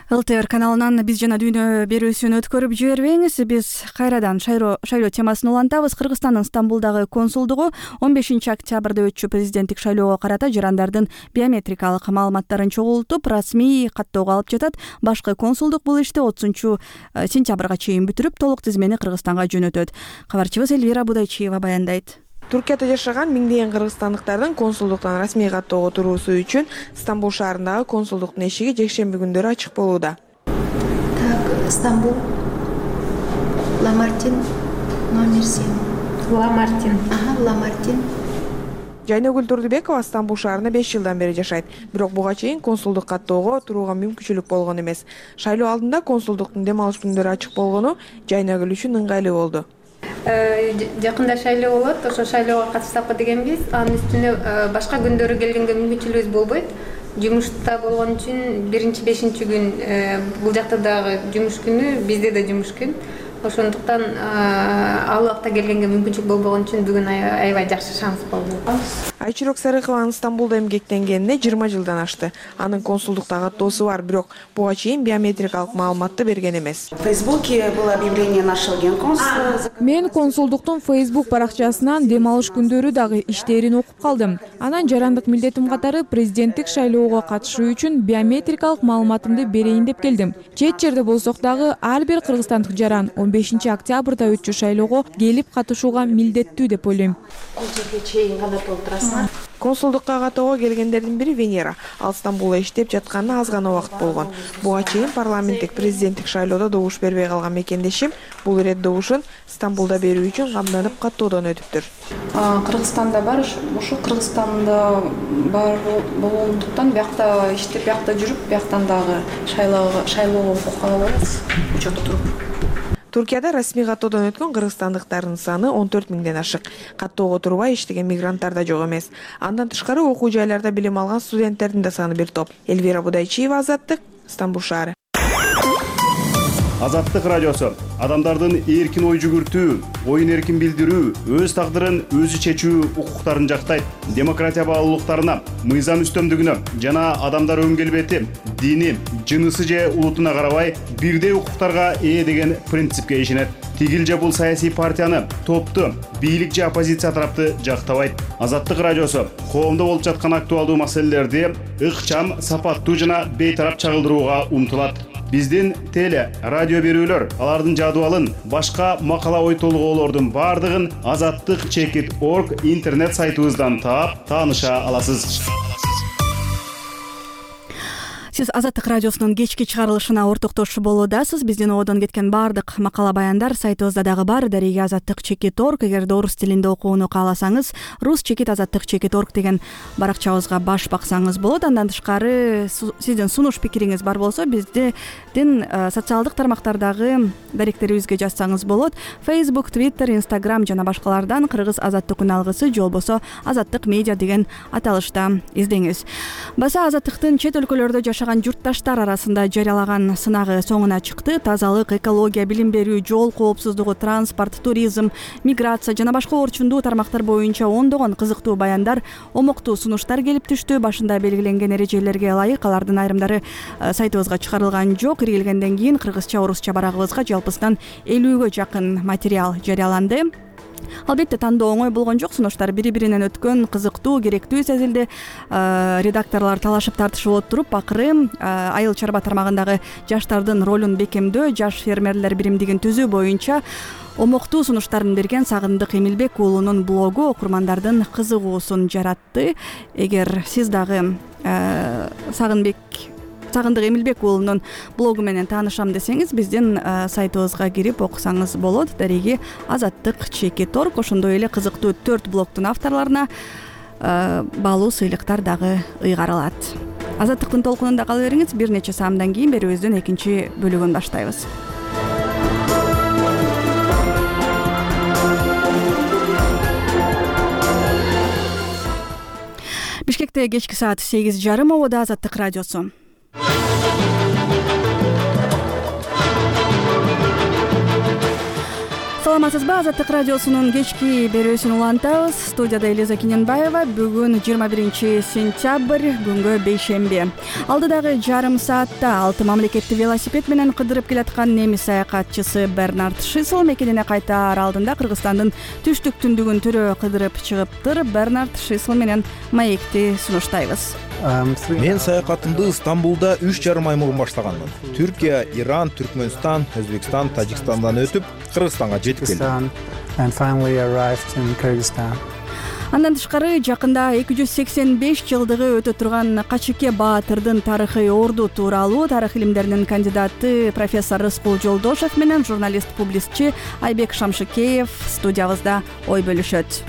эл тэ эр каналынан биз жана дүйнө берүүсүн өткөрүп жибербеңиз. Биз кайрадан шайлоо темасын улантабыз. Кыргызстандын Стамбулдагы консулдугу он бешинчи октябрда өтчү президенттик шайлоого карата жарандардын биометрикалык маалыматтарын чогултуп, расмий каттоого алып жатат. Башкы консулдук бул ишти отузунчу сентябрга чейин бүтүрүп, толук тизмени Кыргызстанга жөнөтөт. Кабарчыбыз Элвира Будайчиева баяндайт. Туркияда жашаган миңдеген кыргызстандыктардын консулдуктан расмий каттоого туруусу үчүн Стамбул шаарындагы консулдуктун эшиги жекшемби күндөрү ачык болууда. Так, Стамбул, Ламартин, номер семь. Ламартин. Ага, Ламартин. Жайнагүл Турдубекова Стамбул шаарында беш жылдан бери жашайт. Бирок буга чейин консулдук каттоого турууга мүмкүнчүлүк болгон эмес. Шайлоо алдында консулдуктун дем алыш күндөрү ачык болгону Жайнагүл үчүн ыңгайлуу болду. Жакында шайлоо болот, ошо шайлоого катышсакпы дегенбиз. Анын үстүнө башка күндөрү келгенге мүмкүнчүлүгүбүз болбойт. Жумушта болгон үчүн биринчи бешинчи күн бул жакта дагы жумуш күнү, бизде да жумуш күн. Ошондуктан ал убакта келгенге мүмкүнчүлүк болбогон үчүн бүгүн аябай жакшы шанс болду. Айчирок Сарыкованын Стамбулда эмгектенгенине жыйырма жылдан ашты. Анын консулдукта каттоосу бар, бирок буга чейин биометрикалык маалыматты берген эмес. В Фейсбуке было объявление нашего генконсула. Мен консулдуктун Facebook баракчасынан дем алыш күндөрү дагы иштерин окуп калдым. Анан жарандык милдетим катары президенттик шайлоого катышуу үчүн биометрикалык маалыматымды берейин деп келдим. Чет жерде болсок дагы ар бир кыргызстандык жаран он бешинчи октябрда өтчү шайлоого келип катышууга милдеттүү деп ойлойм. Консулдукка каттоого келгендердин бири Венера. Ал Стамбулда иштеп жатканына аз гана убакыт болгон. Буга чейин парламенттик президенттик шайлоодо добуш бербей калган мекендешим бул ирет добушун Стамбулда берүү үчүн камданып каттоодон өтүптүр. Кыргызстанда бар, ушу Кыргызстанда бар болгондуктан биякта иштеп, биякта жүрүп, бияктан дагы шайлоого шайлоого укук ала алабыз. Учетто туруп. Туркияда расмий каттоодон өткөн кыргызстандыктардын саны он төрт миңден ашык. Каттоого турбай иштеген мигранттар да жок эмес. Андан тышкары окуу жайларда билим алган студенттердин да саны бир топ. Элвира Будайчиева, Азаттык, Стамбул шаары. Азаттык радиосу адамдардын эркин ой жүгүртүү, оюн эркин билдирүү, өз тагдырын өзү чечүү укуктарын жактайт. Демократия баалуулуктарына, мыйзам үстөмдүгүнө жана адамдар өн келбети, дини, жынысы же улутуна карабай бирдей укуктарга ээ деген принципке ишенет. Тигил же бул саясий партияны, топту, бийлик же оппозиция тарапты жактабайт. Азаттык радиосу коомдо болуп жаткан актуалдуу маселелерди ыкчам, сапаттуу жана бейтарап чагылдырууга умтулат. Биздин теле, радио берүүлөр, алардын жадыбалын, башка макала ой толгоолордун бардыгын азаттык чекит точка орг интернет сайтыбыздан таап, тааныша аласыз. Сиз Азаттык радиосунун кечки чыгарылышына ортоктошуу болуудасыз. Биздин одон кеткен баардык макала баяндар сайтыбызда дагы бар. Дареги азаттык чекит точка орг. Эгерде орус тилинде окууну кааласаңыз, рус чекит азаттык чекит точка орг деген баракчабызга баш баксаңыз болот. Андан тышкары сиздин сунуш пикириңиз бар болсо, биздин социалдык тармактардагы даректерибизге жазсаңыз болот. Facebook, Twitter, Instagram жана башкалардан Кыргыз азаттык үн алгысы же болбосо Азаттык медиа деген аталышта издеңиз. Баса азаттыктын чет өлкөлөрдө жашаган журтташтар арасында жарыялаган сынагы соңуна чыкты. Тазалык, экология, билим берүү, жол коопсуздугу, транспорт, туризм, миграция жана башка орчундуу тармактар боюнча ондогон кызыктуу баяндар, омуктуу сунуштар келип түштү. Башында белгиленген эрежелерге ылайык алардын айрымдары сайтыбызга чыгарылган жок. Киргизгенден кийин кыргызча, орусча барагыбызга жалпысынан элүүгө жакын материал жарыяланды. Албетте тандоо оңой болгон жок. Сунуштар бири биринен өткөн, кызыктуу, керектүү сезилди. Редакторлор талашып тартышып отуруп акыры айыл чарба тармагындагы жаштардын ролун бекемдөө, жаш фермерлер биримдигин түзүү боюнча омоктуу сунуштарын берген Сагындык Эмилбек уулунун блогу окурмандардын кызыгуусун жаратты. Эгер сиз дагы Сагынбек Сагындык Эмилбек уулунун блогу менен таанышам десеңиз, биздин сайтыбызга кирип окусаңыз болот. Дареги Азаттык чеки торг. Ошондой эле кызыктуу төрт блогдун авторлоруна баалуу сыйлыктар дагы ыйгарылат. Азаттыктын толкунунда кала бериңиз. Бир нече саамдан кийин берүүбүздүн экинчи бөлүгүн баштайбыз. Бишкекте кечки саат сегиз жарым. Обода Азаттык радиосу. Саламатсызбы? Азаттык радиосунун кечки берүүсүн улантабыз. Студияда Элиза Кененбаева. Бүгүн жыйырма биринчи сентябрь, күнгө бейшемби. Алдыдагы жарым саатта алты мамлекетти велосипед менен кыдырып келаткан немис саякатчысы Бернард Шисел мекенине кайтаар алдында Кыргызстандын түштүк түндүгүн төрө кыдырып чыгыптыр. Бернард Шисел менен маекти сунуштайбыз. Мен саякатымды Стамбулда үч жарым ай мурун баштаганмын. Түркия, Иран, Түркмөнстан, Өзбекстан, Тажикстандан өтүп, Кыргызстанга жетип келдим. Андан тышкары жакында эки жүз сексен беш жылдыгы өтө турган Качыке Баатырдын тарыхый орду тууралуу тарых илимдеринин кандидаты профессор Рыскул Жолдошев менен журналист-публицистчи Айбек Шамшыкеев студиябызда ой бөлүшөт.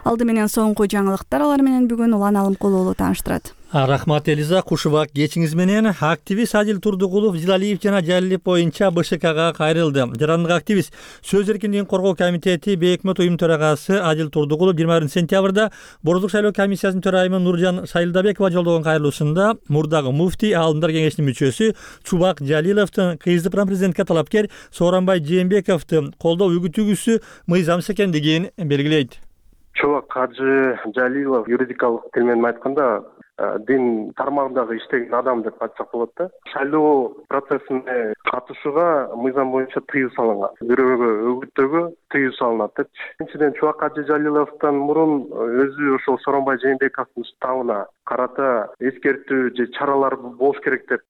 Алды менен соңку жаңылыктар, алар менен бүгүн Улан Алымкул уулу тааныштырат. Рахмат Элиза, кушубак кечиңиз менен. Активист Адил Турдугулов Зилалиев жана Жалилев боюнча БШКга кайрылды. Жарандык активист Сөз эркиндигин коргоо комитети Бейөкмөт уюм төрагасы Адил Турдугулов жыйырма биринчи сентябрда Бордук шайлоо комиссиясынын төрайымы Нуржан Сайылдабекова жолдогон кайрылуусунда мурдагы муфтий, Аалымдар кеңешинин мүчөсү Чубак Жалиловдун кыздыпран президентке талапкер Сооронбай Жээнбековду колдоо үгүтүүгүсү мыйзамсыз экендигин белгилейт. Чубак Кажы Жалилов юридикалык тил менен айтканда дин тармагындагы иштеген адам деп айтсак болот да. Шайлоо процессине катышууга мыйзам боюнча тыюу салынган. Бирөөгө өгүттөөгө тыюу салынат депчи. Экинчиден Чубак Кажы Жалиловдон мурун өзү ошол Сооронбай Жээнбековдун уставына карата эскертүү же чаралар болуш керек деп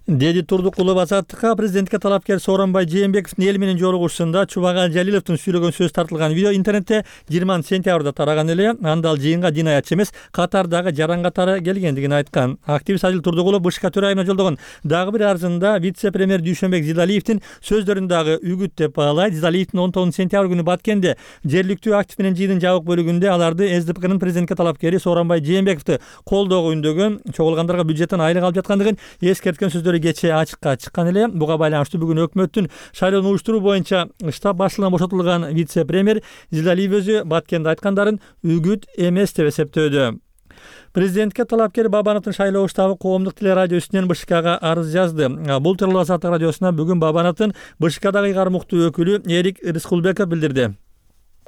деди Турдукулов Азаттыкка. Президентке талапкер Сооронбай Жээнбековдун эл менен жолугушуусунда Чубак Жалиловдун сүйлөгөн сөз тартылган видео интернетте жыйырманчы сентябрда тараган эле. Анда ал жыйынга дин аятчы эмес, катардагы жаран катары келгендигин айткан. Активист Адил Турдукулов БШК төрайымына жолдогон дагы бир арызында вице-премьер Дүйшөнбек Зилалиевдин сөздөрүн дагы үгүт деп баалайт. Зилалиевдин он тогузунчу сентябрь күнү Баткенде жергиликтүү актив менен жыйындын жабык бөлүгүндө аларды СДПКнын президентке талапкери Сооронбай Жээнбековду колдоого үндөгөн, чогулгандарга бюджеттен айлык алып жаткандыгын эскерткен сөздөр кечээ ачыкка чыккан эле. Буга байланыштуу бүгүн өкмөттүн шайлоону уюштуруу боюнча штаб башчылыгынан бошотулган вице-премьер Зилалиев өзү Баткенде айткандарын үгүт эмес деп эсептөөдө. Президентке талапкер Бабановдун шайлоо штабы коомдук телерадио үстүнөн БШКга арыз жазды. Бул тууралуу Азаттык радиосуна бүгүн Бабановдун БШКдагы ыйгарым уктуу өкүлү Эрик Рыскулбеков билдирди.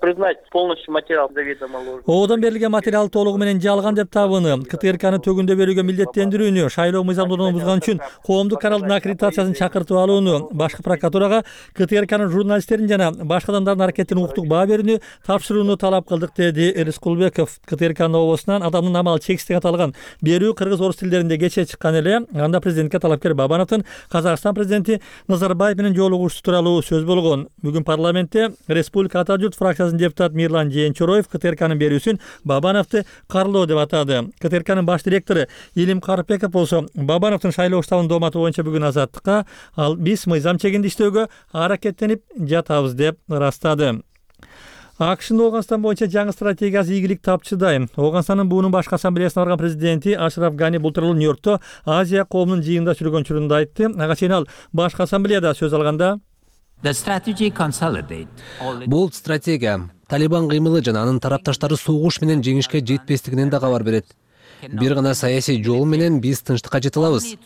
Признать полностью материал заведомо ложный. Оодон берилген материал толугу менен жалган деп табыны. КТРКны төгүндө берүүгө милдеттендирүүнү, шайлоо мыйзамдуулугун бузган үчүн коомдук каналдын аккредитациясын чакыртып алууну, башкы прокуратурага КТРКнын журналисттерин жана башка адамдардын аракетине укуктук баа берүүнү тапшырууну талап кылдык, деди Рыскулбеков. КТРКнын обосунан адамдын амалы чексиздик аталган берүү кыргыз орус тилдеринде кечээ чыккан эле. Анда президентке талапкер Бабановдун Казакстан президенти Назарбаев менен жолугушуу тууралуу сөз болгон. Бүгүн парламентте Республика Ата журт фракциясынын депутат Мирлан Жээнчороев КТРКнын берүүсүн Бабановду карлоо деп атады. КТРКнын баш директору Илим Карпеков болсо Бабановдун шайлоо штабынын дооматы боюнча бүгүн Азаттыкка ал биз мыйзам чегинде иштөөгө аракеттенип жатабыз деп ырастады. АКШнын Ооганстан боюнча жаңы стратегиясы ийгилик тапчыдай. Ооганстандын буунун башкы ассамблеясына барган президенти Ашраф Гани бул тууралуу Нью-Йоркто Азия коомунун жыйынында сүргөн учурунда айтты. Ага чейин ал башкы ассамблеяда сөз алганда бул стратегия Талибан кыймылы жана анын тарапташтары согуш менен жеңишке жетпестигинен да кабар берет. Бир гана саясий жол менен биз тынчтыкка жете алабыз.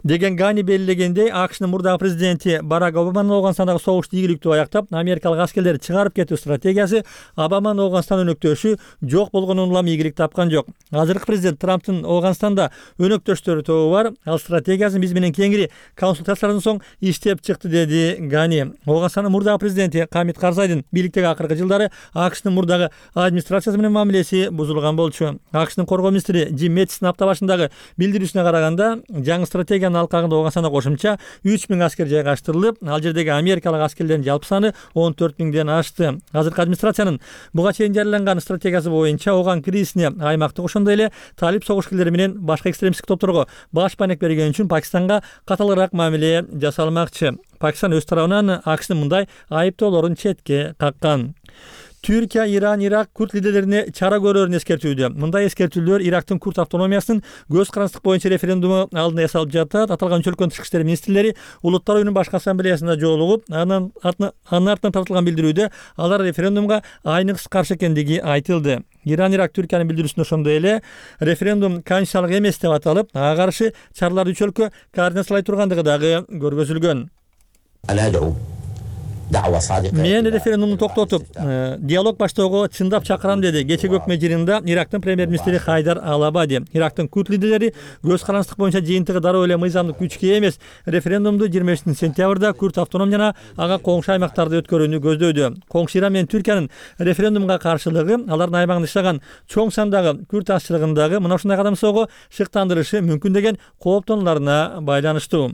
деген Гани белгилегендей, АКШнын мурдагы президенти Барак Обаманын Ооганстандагы согушту ийгиликтүү аяктап, америкалык аскерлерди чыгарып кетүү стратегиясы Обаманын Ооганстан өнөктөшү жок болгонун улам ийгилик тапкан жок. Азыркы президент Трамптын Ооганстанда өнөктөштөрү тобу бар. Ал стратегиясы биз менен кеңири консультациялардан соң иштеп чыкты, деди Гани. Ооганстандын мурдагы президенти Хамид Карзайдын бийликтеги акыркы жылдары АКШнын мурдагы администрациясы менен мамилеси бузулган болчу. АКШнын коргоо министри Джим Мэттистин апта башындагы билдирүүсүнө караганда, жаңы стратегиянын алкагында Ооганстанда кошумча үч миң аскер жайгаштырылып, ал жердеги америкалык аскерлердин жалпы саны он төрт миңден ашты. Азыркы администрациянын буга чейин жарыяланган стратегиясы боюнча ооган кризисине, аймактык ошондой эле талип согушкерлери менен башка экстремисттик топторго баш байнек берген үчүн Пакистанга каталыраак мамиле жасалмакчы. Пакистан өз тарабынан АКШнын мындай айыптоолорун четке каккан. Түркия, Иран, Ирак курд лидерлерине чара көрөөрүн эскертүүдө. Мындай эскертүүлөр Ирактын курд автономиясынын көз карандысыздык боюнча референдуму алдында ясалып жатат. Аталган үч өлкөнүн тышкы иштер министрлери Улуттар уюмунун башкы ассамблеясында жолугуп, анын артынан тартылган билдирүүдө алар референдумга айныксыз каршы экендиги айтылды. Иран, Ирак Түркиянын билдирүүсүндө ошондой эле референдум конституциялык эмес деп аталып, ага каршы чараларды үч өлкө координациялай тургандыгы дагы көргөзүлгөн. Мен референдумду токтотуп, диалог баштоого чындап чакырам, деди кечеги өкмөт жыйынында Ирактын премьер-министри Хайдар Ал-Абади. Ирактын курд лидерлери көз карандысыздык боюнча жыйынтыгы дароо эле мыйзамдык күчкө эмес референдумду жыйырма бешинчи сентябрда курд автоном жана ага коңшу аймактарда өткөрүүнү көздөйдү. Коңшу Иран менен Түркиянын референдумга каршылыгы алардын аймагында иштеген чоң сандагы курд азчылыгындагы мына ушундай кадам сого шыктандырышы мүмкүн деген кооптонууларына байланыштуу.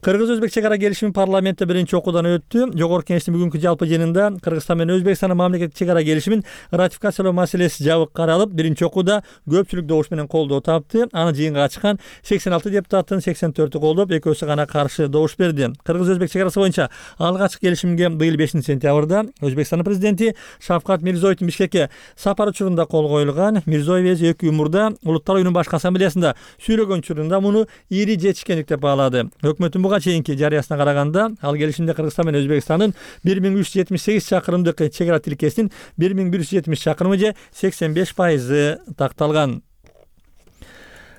Кыргыз-Өзбек чек ара келишими парламентте биринчи окуудан өттү. Жогорку кеңештин бүгүнкү жалпы жыйынында Кыргызстан менен Өзбекстандын мамлекеттик чек ара келишимин ратификациялоо маселеси жабык каралып, биринчи окууда көпчүлүк добуш менен колдоо тапты. Аны жыйынга чыккан сексен алты депутаттын сексен төртү колдоп, экөөсү гана каршы добуш берди. Кыргыз-Өзбек чек арасы боюнча алгачкы келишимге быйыл бешинчи сентябрда Өзбекстандын президенти Шавкат Мирзиёевдун Бишкекке сапары учурунда кол коюлган. Мирзиёев эки күн мурда Улуттар уюмунун башкы ассамблеясында сүйлөгөн учурунда муну ири жетишкендик деп баалады. Өкмөттүн буга чейинки жарыясына караганда, ал келишимде Кыргызстан менен Өзбекстандын бир миң үч жүз жетимиш сегиз чакырымдык чек ара тилкесинин бир миң бир жүз жетимиш чакырымы же сексен беш пайызы такталган.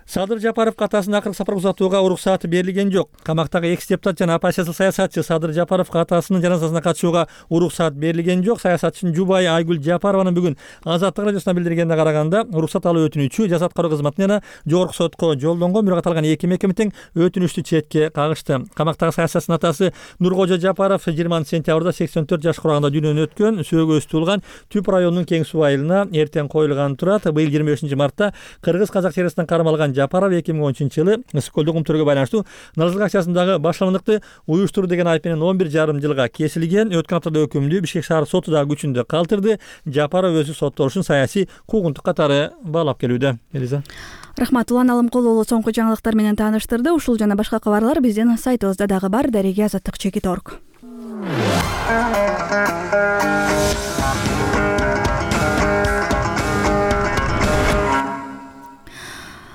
Садыр Жапаровго атасынын акыркы сапарга узатууга уруксаты берилген жок. Камактагы экс депутат жана оппозициялык саясатчы Садыр Жапаровго атасынын жаназасына катышууга уруксат берилген жок. Саясатчынын жубайы Айгүл Жапарованын бүгүн Азаттык радиосуна билдиргенине караганда, уруксат алуу өтүнүчү Жазат кароо кызматына жана жогорку сотко жолдонгон, бирок аталган эки мекеме тең өтүнүчтү четке кагышты. Камактагы саясатчынын атасы Нуркожо Жапаров жыйырманчы сентябрда сексен төрт жаш кураганда дүйнөдөн өткөн. Сөөгөсү туулган Түп районунун Кең суу айылына эртең коюлган турат. Быйыл жыйырма бешинчи мартта Кыргыз-Казак чек арасынан кармалган Жапаров эки миң он үчүнчү жылы Ысык-Көлдүк умтөргө байланыштуу налыгчылык акчасындагы башталгандыкты уюштуруу деген айып менен он бир жарым жылга кесилген. Өткөн аптада өкүмдү Бишкек шаар соту да күчүндө калтырды. Жапаров өзү соттолушун саясий куугунтук катары баалап келүүдө. Элиза. Рахмат. Улан Алымкулуу соңку жаңылыктар менен тааныштырды. Ушул жана башка кабарлар биздин сайтыбызда дагы бар. Дареге азаттык чекит точка орг.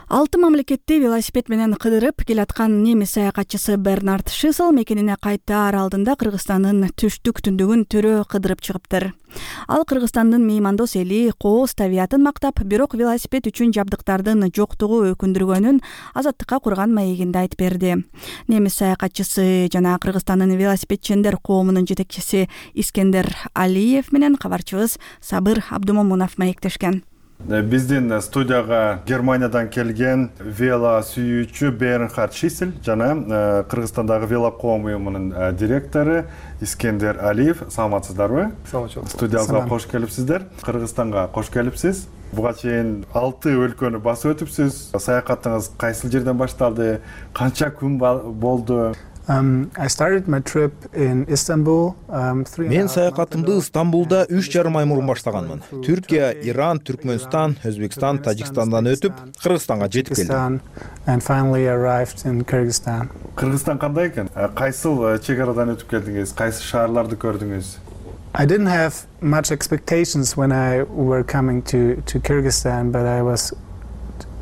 Алты мамлекетти велосипед менен кыдырып келаткан немис саякатчысы Бернард Шисел мекенине кайтаар алдында Кыргызстандын түштүк түндүгүн төрө кыдырып чыгыптыр. Ал Кыргызстандын меймандос эли, кооз табиятын мактап, бирок велосипед үчүн жабдыктардын жоктугу өкүндүргөнүн Азаттыкка курган маегинде айтып берди. Немис саякатчысы жана Кыргызстандын велосипедчендер коомунун жетекчиси Искендер Алиев менен кабарчыбыз Сабыр Абдумомунов маектешкен. Биздин студияга Германиядан келген вело сүйүүчү Бернхард Шисель жана Кыргызстандагы вело коом уюмунун директору Искендер Алиев. Саламатсыздарбы? Студиябызга кош келипсиздер. Кыргызстанга кош келипсиз. Буга чейин алты өлкөнү басып өтүпсүз. Саякатыңыз кайсыл жерден башталды? Канча күн болду? Um, I started my trip in Istanbul. Um, Мен саякатымды Стамбулда үч жарым ай мурун баштаганмын. Түркия, Иран, Түркмөнстан, Өзбекстан, Тажикстандан өтүп, Кыргызстанга жетип келдим. And finally arrived in Kyrgyzstan. Кыргызстан кандай экен? Кайсыл чек арадан өтүп келдиңиз? Кайсы шаарларды көрдүңүз? I didn't have much expectations when I were coming to to Kyrgyzstan, but I was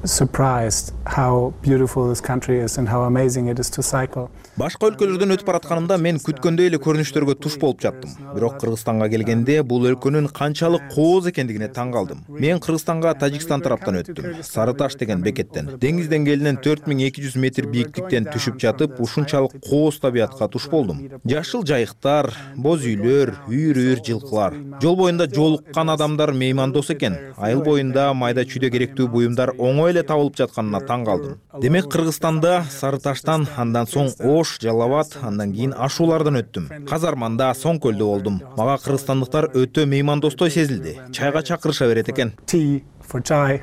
surprised how beautiful this country is and how amazing it is to cycle. Башка өлкөлөрдөн өтүп баратканымда мен күткөндөй эле көрүнүштөргө туш болуп жаттым. Бирок Кыргызстанга келгенде бул өлкөнүн канчалык кооз экендигине таң калдым. Мен Кыргызстанга Тажикстан тараптан өттүм. Сары Таш деген бекеттен. Деңиз деңгээлинен төрт миң эки жүз метр бийиктиктен түшүп жатып, ушунчалык кооз табиятка туш болдум. Жашыл жайыктар, боз үйлөр, үйүр-үйүр жылкылар. Жол боюнда жолуккан адамдар меймандос экен. Айыл боюнда майда чүйдө керектүү буюмдар оңой эле табылып жатканына таң калдым. Демек Кыргызстанда Сары Таштан, андан соң Ош, Жалал-Абад, андан кийин Ашуулардан өттүм. Казарманда, Соң көлдө болдум. Мага кыргызстандыктар өтө меймандостой сезилди. Чайга чакырыша берет экен. Tea for chai,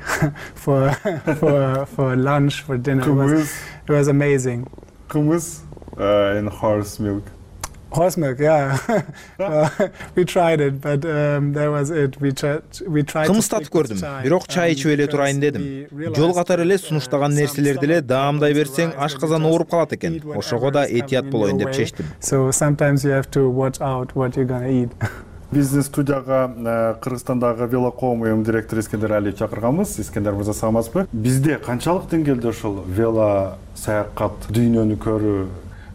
for for for lunch, for dinner. It was, it was amazing. Kumuz uh, and horse milk. Horse milk, yeah. Well, we tried it, but um, that was it. We tried, we tried Кымыз татып көрдүм, бирок чай ичип эле турайын дедим. Жол катары эле сунуштаган нерселерди эле даамдай берсең, ашказан ооруп калат экен. Ошого да этият болоюн деп чечтим. So sometimes you have to watch out what you're gonna eat. Бизнес студияга Кыргызстандагы велокоом уюм директору Искендер Алиев чакырганбыз. Искендер мырза, саламатсызбы? Бизде канчалык деңгээлде ошол вело саякат, дүйнөнү көрүү,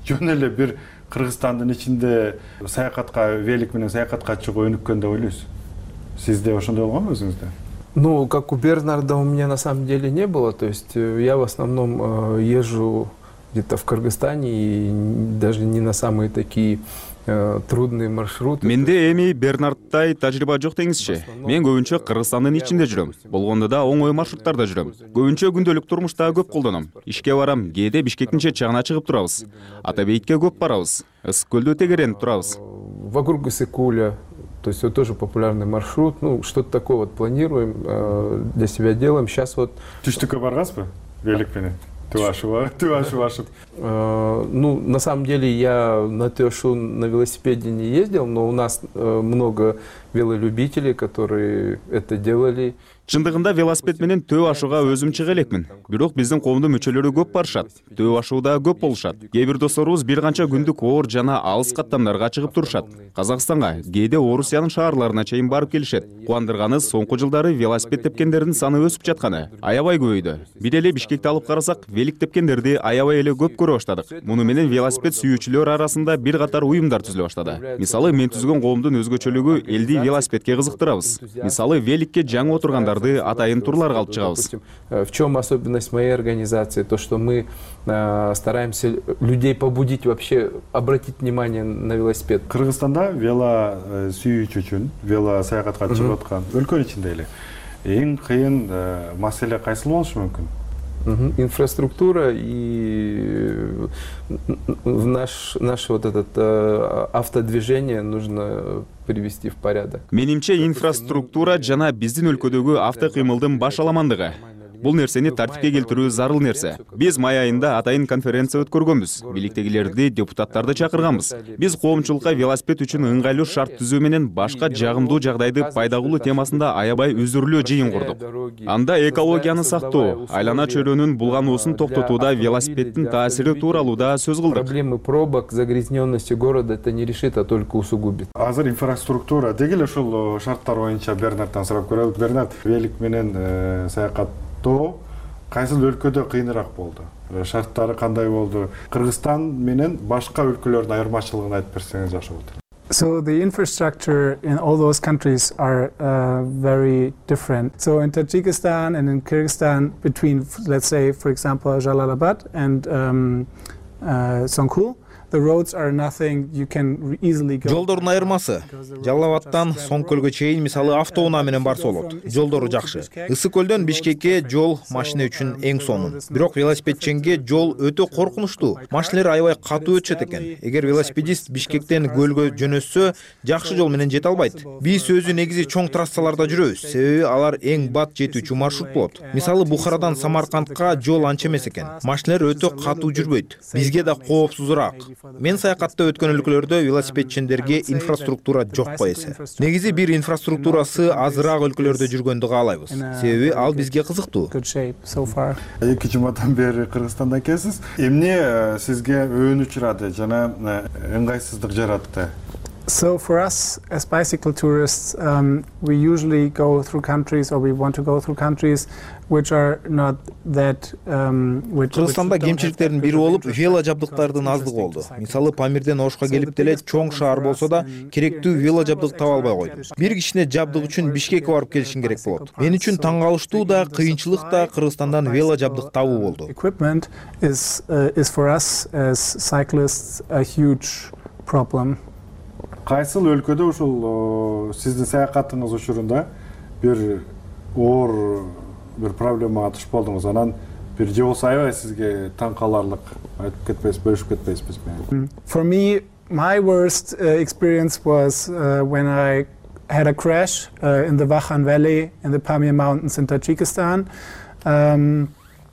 жөн эле бир Кыргызстандын ичинде саякатка, велик менен саякатка чыгуу өнүккөн деп ойлойсуз? Сизде ошондой болгонбу өзүңүздө? Ну, как у Бернарда у меня на самом деле не было. То есть я в основном езжу где-то в Кыргызстане и даже не на самые такие трудные маршруты. Менде эми Бернардтай тажрыйба жок деңизчи. Мен көбүнчө Кыргызстандын ичинде жүрөм. Болгондо да оңой маршруттарда жүрөм. Көбүнчө күндөлүк турмушта көп колдоном. Ишке барам, кээде Бишкектин чет жагына чыгып турабыз. Ата Бейитке көп барабыз. Ысык көлдө тегеренип турабыз. Вокруг Ысык-Куля. То есть это тоже популярный маршрут. Ну, что-то такое вот планируем, для себя делаем. Сейчас вот... Түштүккө баргансызбы? Велик менен? Туашева, Туашева. Ну, на самом деле я на Туашу на велосипеде не ездил, но у нас много велолюбителей, которые это делали. Чындыгында велосипед менен Төө ашууга өзүм чыга элекмин. Бирок биздин коомдун мүчөлөрү көп барышат. Төө ашууда көп болушат. Кээ бир досторубуз бир канча күндүк оор жана алыс каттамдарга чыгып турушат. Казакстанга, кээде Орусиянын шаарларына чейин барып келишет. Кубандырганы соңку жылдары велосипед тепкендердин саны өсүп жатканы. Аябай көбөйдү. Бир эле Бишкекти алып карасак, велик тепкендерди аябай эле көп көрө баштадык. Муну менен велосипед сүйүүчүлөр арасында бир катар уюмдар түзүлө баштады. Мисалы, мен түзгөн коомдун өзгөчөлүгү элди велосипедке кызыктырабыз. Мисалы, великке жаңы отургандар атайын турларга алып чыгабыз. В чем особенность моей организации? То, что мы э, стараемся людей побудить вообще обратить внимание на велосипед. Кыргызстанда вело сүйүүчү үчүн, вело саякатка чыгып аткан өлкөнүн ичинде эле эң кыйын маселе кайсы болушу мүмкүн? Инфраструктура и в наш, наш вот этот э, автодвижение нужно привести в порядок. Менимче инфраструктура жана биздин өлкөдөгү автокыймылдын баш аламандыгы. Бул нерсени тартипке келтирүү зарыл нерсе. Биз май айында атайын конференция өткөргөнбүз. Бийликтегилерди, депутаттарды чакырганбыз. Биз коомчулукка велосипед үчүн ыңгайлуу шарт түзүү менен башка жагымдуу жагдайды пайда кылуу темасында аябай үзүрлүү жыйын курдук. Анда экологияны сактоо, айлана чөйрөнүн булгануусун токтотууда велосипеддин таасири тууралуу да сөз кылдык. Проблемы пробок, загрязненности города это не решит, а только усугубит. Азыр инфраструктура дегеле ушул шарттар боюнча Бернардтан сурап көрөлүк. Бернард, велик менен саякат то кайсыл өлкөдө кыйыныраак болду? Шарттары кандай болду? Кыргызстан менен башка өлкөлөрдүн айырмачылыгын айтып берсеңиз жакшы болот. So the infrastructure in all those countries are uh, very different. So in Tajikistan and in Kyrgyzstan, between, let's say, for example, Jalalabad and um, uh, Songkul, the roads are nothing you can easily go. Жолдордун айырмасы. Жалал-Абадтан Соң көлгө чейин мисалы автоунаа менен барса болот. Жолдору жакшы. Ысык көлдөн Бишкекке жол машина үчүн эң сонун. Бирок велосипедченге жол өтө коркунучтуу. Машиналар аябай катуу өтүшөт экен. Эгер велосипедист Бишкектен көлгө жөнөтсө, жакшы жол менен жете албайт. Биз өзү негизи чоң трассаларда жүрөбүз. Себеби алар эң бат жетүүчү маршрут болот. Мисалы Бухарадан Самаркандка жол анча эмес экен. Машиналар өтө катуу жүрбөйт. Бизге да коопсузураак. Мен саякатта өткөн өлкөлөрдө велосипедчендерге инфраструктура жок эсе. Негизи бир инфраструктурасы азыраак өлкөлөрдө жүргөндү каалайбыз. Себеби ал бизге кызыктуу. Эки жумадан бери Кыргызстанда экенсиз. Эмне сизге өөн учурады жана ыңгайсыздык жаратты? So for us as bicycle tourists, um, we usually go through countries, or we want to go through countries which are not that um, which Кыргызстанда кемчиликтердин бири болуп вело жабдыктардын аздыгы болду. Мисалы Памирден Ошко келип деле чоң шаар болсо да керектүү вело жабдык таба албай койдум. Бир кишине жабдык үчүн Бишкекке барып келишиң керек болот. Мен үчүн таң калыштуу да, кыйынчылык да Кыргызстандан вело жабдык табуу болду. Equipment is uh, is for us as cyclists a huge problem. Кайсыл өлкөдө ушул сиздин саякатыңыз учурунда бир оор бир проблемага туш болдуңуз, анан бир же болсо аябай сизге таң каларлык айтып кетпейсиз, бөлүшүп кетпейсизби менен? For me, my worst uh, experience was uh, when I had a crash uh, in the Vakhan Valley in the Pamir Mountains in Tajikistan. Um,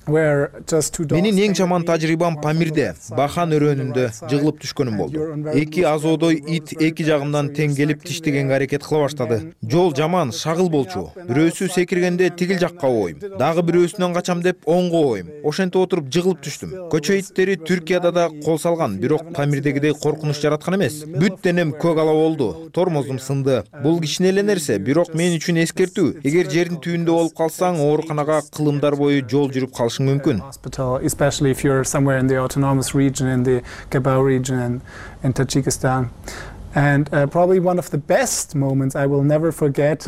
Менин эң жаман тажрыйбам Памирде, Бахан өрөөнүндө жыгылып түшкөнүм болду. Эки азоодой ит эки жагымдан тең келип тиштегенге аракет кыла баштады. Жол жаман, шагыл болчу. Бирөөсү секиргенде тигил жакка ойм, дагы бирөөсүнөн качам деп оңго ойм. Ошентип отуруп жыгылып түштүм. Көчө иттери Түркияда да кол салган, бирок Памирдегидей коркунуч жараткан эмес. Бүт денем көк ала болду, тормозум сынды. Бул кичине эле нерсе, бирок мен үчүн эскертүү. Эгер жердин түбүндө болуп калсаң, ооруканага кылымдар бою жол жүрүп калыш hospital, especially if you're somewhere in the autonomous region, in the Gabao region in, in Tajikistan. And uh, probably one of the best moments I will never forget.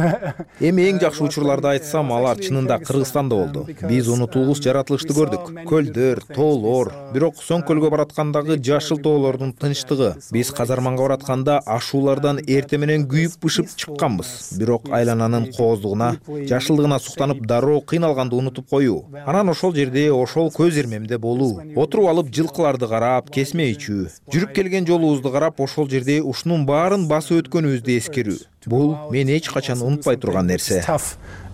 Эми эң жакшы учурларды айтсам, алар чынында Кыргызстанда болду. Биз унутулгус жаратылышты көрдүк. Көлдөр, тоолор, бирок Соң көлгө бараткандагы жашыл тоолордун тынчтыгы. Биз Казарманга баратканда ашуулардан эрте менен күйүп-бышып чыкканбыз. Бирок айлананын кооздугуна, жашылдыгына суктанып дароо кыйналганды унутуп коюу. Анан ошол жерде, ошол көз ирмемде болуу. Отуруп алып жылкыларды карап, кесме ичүү. Жүрүп келген жолубузду карап, ошол жерде ушунун баарын басып өткөнүбүздү эскерүү. Бул мен эч качан унутпай турган нерсе.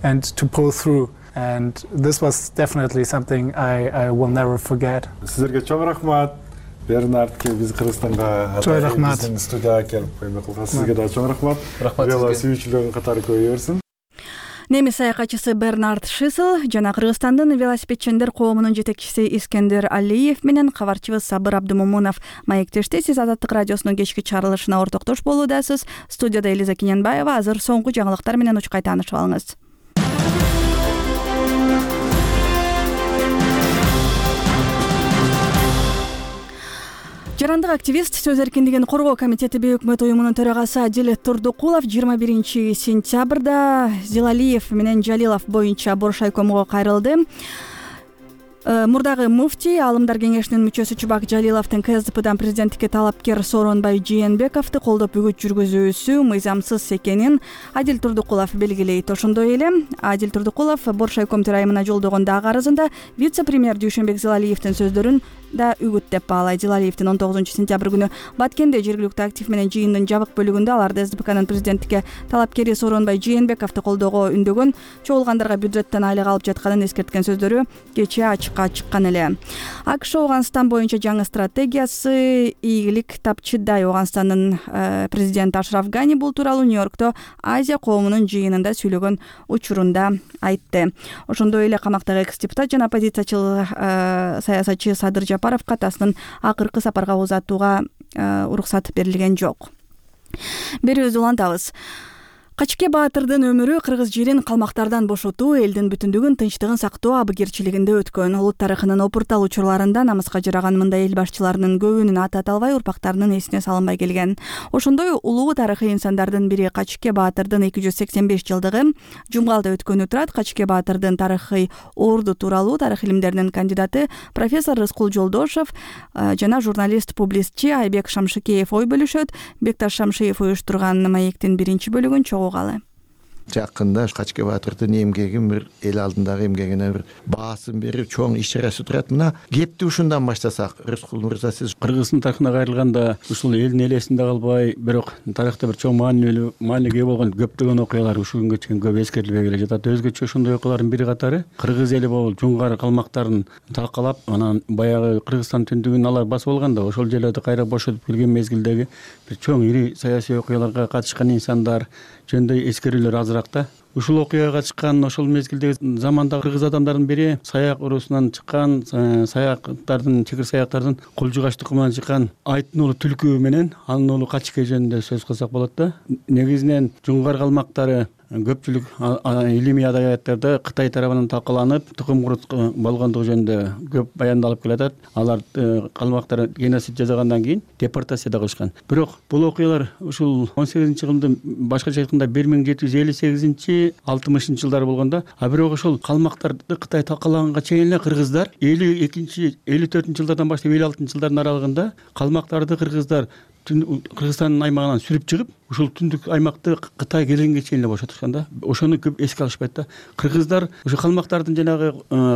And to pull through, and this was definitely something I I will never forget. Сизерге чоң рахмат. Бернард ке биз Кыргызстанга биздин студияга келип көмөк кылган. Сизге да чоң рахмат. Вело сүйүүчүлөрүн катары көбөйөрсүн. Немис саякатчысы Бернард Шисел жана Кыргызстандын велосипедчендер коомунун жетекчиси Искендер Алиев менен кабарчыбыз Сабыр Абдымомунов маектешти. Сиз Азаттык радиосунун кечки чыгарылышына ортоктош болуудасыз. Студияда Элиза Кененбаева. Азыр соңку жаңылыктар менен учкай таанышып алыңыз. Жарандык активист, сөз эркиндигин коргоо комитети Бейөкмөт уюмунун төрагасы Адил Турдукулов жыйырма биринчи сентябрда Зилалиев менен Жалилов боюнча Бош айкомго кайрылды. Мурдагы муфтий, Аалымдар кеңешинин мүчөсү Чубак Жалиловдун КСДПдан президенттикке талапкер Сооронбай Жээнбековду колдоп үгүт жүргүзүүсү мыйзамсыз экенин Адил Турдукулов белгилейт. Ошондой эле Адил Турдукулов Бош айком төрайымына жолдогон дагы арызында вице-премьер Дүйшөнбек Зилалиевдин сөздөрүн да үгүт деп баалайт. Зилалиевдин он тогузунчу сентябрь күнү Баткенде жергиликтүү актив менен жыйындын жабык бөлүгүндө аларды СДПКнын президенттикке талапкери Сооронбай Жээнбековду колдоого үндөгөн, чогулгандарға бюджеттен айлык алып жатканын эскерткен сөздөрү кечээ ачыкка чыккан эле. АКШ Ооганстан боюнча жаңы стратегиясы ийгилик тапчыдай. Ооганстандын президенти Ашраф Гани бул тууралуу Нью-Йоркто Азия коомунун жыйынында сүйлөгөн учурунда айтты. Ошондой эле камактагы экс-депутат жана оппозициячыл саясатчы Садыр Жапаровго атасынын акыркы сапарга узатууга уруксат берилген жок. Берүүбүздү улантабыз. Качке Баатырдын өмүрү кыргыз жерин калмактардан бошотуу, элдин бүтүндүгүн, тынчтыгын сактоо абыгерчилигинде өткөн. Улут тарыхынын опуртал учурларында намыска жараган мындай эл башчыларынын көбүнүн аты аталбай, урпактарынын эсине салынбай келген. Ошондой улуу тарыхый инсандардын бири Качке Баатырдын эки жүз сексен беш жылдыгы Жумгалда өткөнү турат. Качке Баатырдын тарыхый орду тууралуу тарых илимдеринин кандидаты профессор Рыскул Жолдошов жана журналист-публистчи Айбек Шамшыкеев ой бөлүшөт. Бекташ Шамшиев уюштурган маектин биринчи бөлүгүн чогуу Жакында Качке Баатырдын эмгегин бир эл алдындагы эмгегине бир баасын берип чоң иш-чарасы турат. Мына кепти ушундан баштасак, Рыскул Мырза, сиз Кыргыздын тарыхына кайрылганда ушул элдин элесинде калбай, бирок тарыхта бир чоң маанилүү маанилиге ээ болгон көптөгөн окуялар ушул күнгө чейин көп эскерилбей келе жатат. Өзгөчө ошондой окуялардын бири катары кыргыз эли болуп жунгар калмактарын талкалап, анан баягы Кыргызстан түндүгүн алар басып алганда, ошол жерлерди кайра бошотуп келген мезгилдеги бир чоң ири саясий окуяларга катышкан инсандар жөнүндө эскерүүлөр азыр азыраак да. Ушул окуяга чыккан ошол мезгилдеги заманда кыргыз адамдардын бири саяк урусунан чыккан, саяктардын, чекир саяктардын кулжугач тукумунан чыккан Айттын уулу Түлкү менен анын уулу Качке жөнүндө сөз кылсак болот да. Негизинен жуңгар калмактары көпчүлүк илимий адабияттарда Кытай тарабынан талкаланып, тукум курут болгондугу жөнүндө көп баяндалып келатат. Алар калмактар геноцид жасагандан кийин депортация да кылышкан. Бирок бул окуялар ушул он сегизинчи кылымдын башкача айтканда бир миң жети жүз элүү сегизинчи алтымышынчы жылдары болгондо, а бирок ошол калмактарды Кытай талкалаганга чейин эле кыргыздар элүү экинчи элүү төртүнчү жылдардан баштап элүү алтынчы жылдардын аралыгында калмактарды кыргыздар Кыргызстандын аймагынан сүрүп чыгып, ушул түндүк аймакты Кытай келгенге чейин эле бошотушкан да. Ошону көп эске алышпайт да. Кыргыздар ошо калмактардын жанагы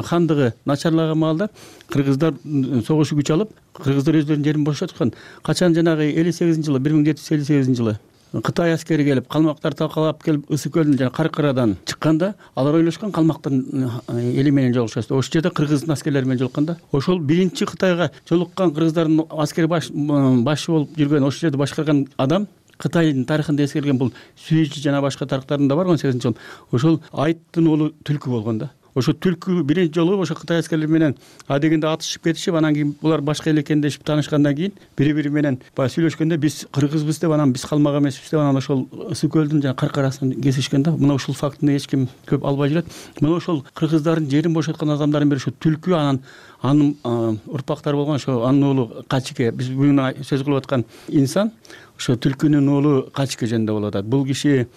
хандыгы начарлаган маалда кыргыздар согуш күч алып, кыргыздар өздөрүнүн жерин бошоткон. Качан жанагы элүү сегизинчи жылы, бир миң жети жүз элүү сегизинчи жылы Кытай аскери келип, калмактар талкалап келип, Ысык көлдөн жана Каркырадан чыкканда, алар ойлошкон калмактын эли менен жолугушат. Ошол жерде кыргыздын аскерлери менен жолуккан да. Ошол биринчи Кытайга жолуккан кыргыздардын аскери башы болуп жүргөн, ошол жерде башкарган адам Кытайдын тарыхында эскерилген бул Сүйүчү жана башка тарыхтарында бар он сегизинчи жыл. Ошол Айттын уулу Түлкү болгон да. Ошо Түлкү биринчи жолу ошо Кытай аскерлери менен адегенде атышып кетишип, анан кийин булар башка эл экендешип таанышкандан кийин бири-бири менен баягы сүйлөшкөндө биз кыргызбыз деп, анан биз калмак эмеспиз деп, анан ошол Ысык көлдүн жана Каркарасын кесишкен да. Мына ушул фактыны эч ким көп албай жүрөт. Мына ошол кыргыздардын жерин бошоткон адамдардын бири ошо Түлкү, анан анын урпактары болгон ошо анын уулу Качке. Биз бүгүн сөз кылып аткан инсан ошо Түлкүнүн уулу Качке жөнүндө болуп атат. Бул киши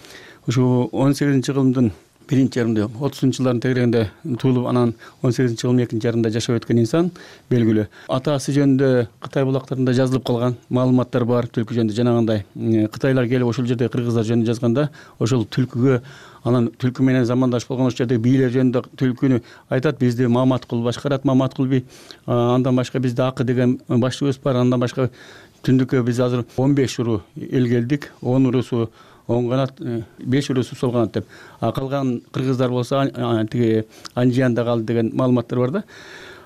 ошо он сегизинчи кылымдын биринчи жарымында отузунчу жылдардын тегерегинде туулуп, анан он сегизинчи кылымдын экинчи жарымында жашап өткөн инсан белгилүү. Атасы жөнүндө Кытай булактарында жазылып калган маалыматтар бар Түлкү жөнүндө. Жанагындай Кытайлар келип ошол жерде кыргыздар жөнүндө жазганда, ошол Түлкүгө, анан Түлкү менен замандаш болгон ошол жердеги бийлер жөнүндө Түлкүнү айтат, бизди Маматкул башкарат, Маматкул би, андан башка бизде Акы деген башчыбыз бар, андан башка түндүккө биз азыр он беш уру эл келдик, он урусу оң канат, беш урусу сол канат деп. А калган кыргыздар болсо тиги Анжиянда калды деген маалыматтар бар да.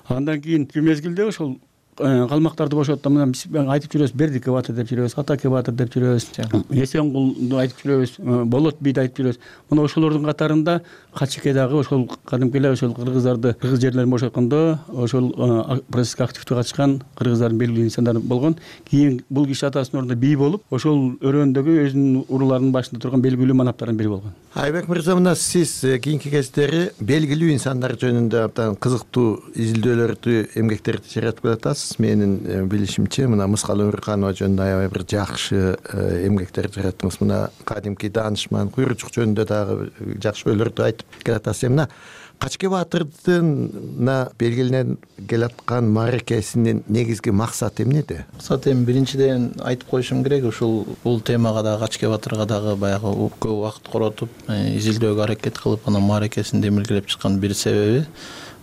Андан кийинки мезгилде ошол калмактарды бошотту, мына биз айтып жүрөбүз, Бердикке батыр деп жүрөбүз, Атаке батыр деп жүрөбүз, Эсенгулду айтып жүрөбүз, Болот бийди айтып жүрөбүз. Мына ошолордун катарында Качке дагы ошол кадимки эле ошол кыргыздарды кыргыз жерлерин бошоткондо ошол процесске активдүү катышкан кыргыздардын белгилүү инсандары болгон. Кийин бул киши атасынын ордунда бий болуп, ошол өрөөндөгү өзүнүн уруларынын башында турган белгилүү манаптардын бири болгон. Айбек мырза, мына сиз кийинки кездери белгилүү инсандар жөнүндө абдан кызыктуу изилдөөлөрдү, эмгектерди жаратып келатасыз. Менин билишимче, мына Мыскал Өмүрканова жөнүндө аябай бир жакшы эмгектер жараттыңыз. Мына кадимки даанышман Куйручук жөнүндө дагы жакшы ойлорду айтып келатасыз. Мына Качке баатырдын белгилене келаткан мааракесинин негизги максаты эмнеде? Максат эми биринчиден айтып коюшум керек, ушул бул темага дагы Качке баатырга дагы баягы көп убакыт коротуп, изилдөөгө аракет кылып, анан мааракесин демилгелеп чыккан бир себеби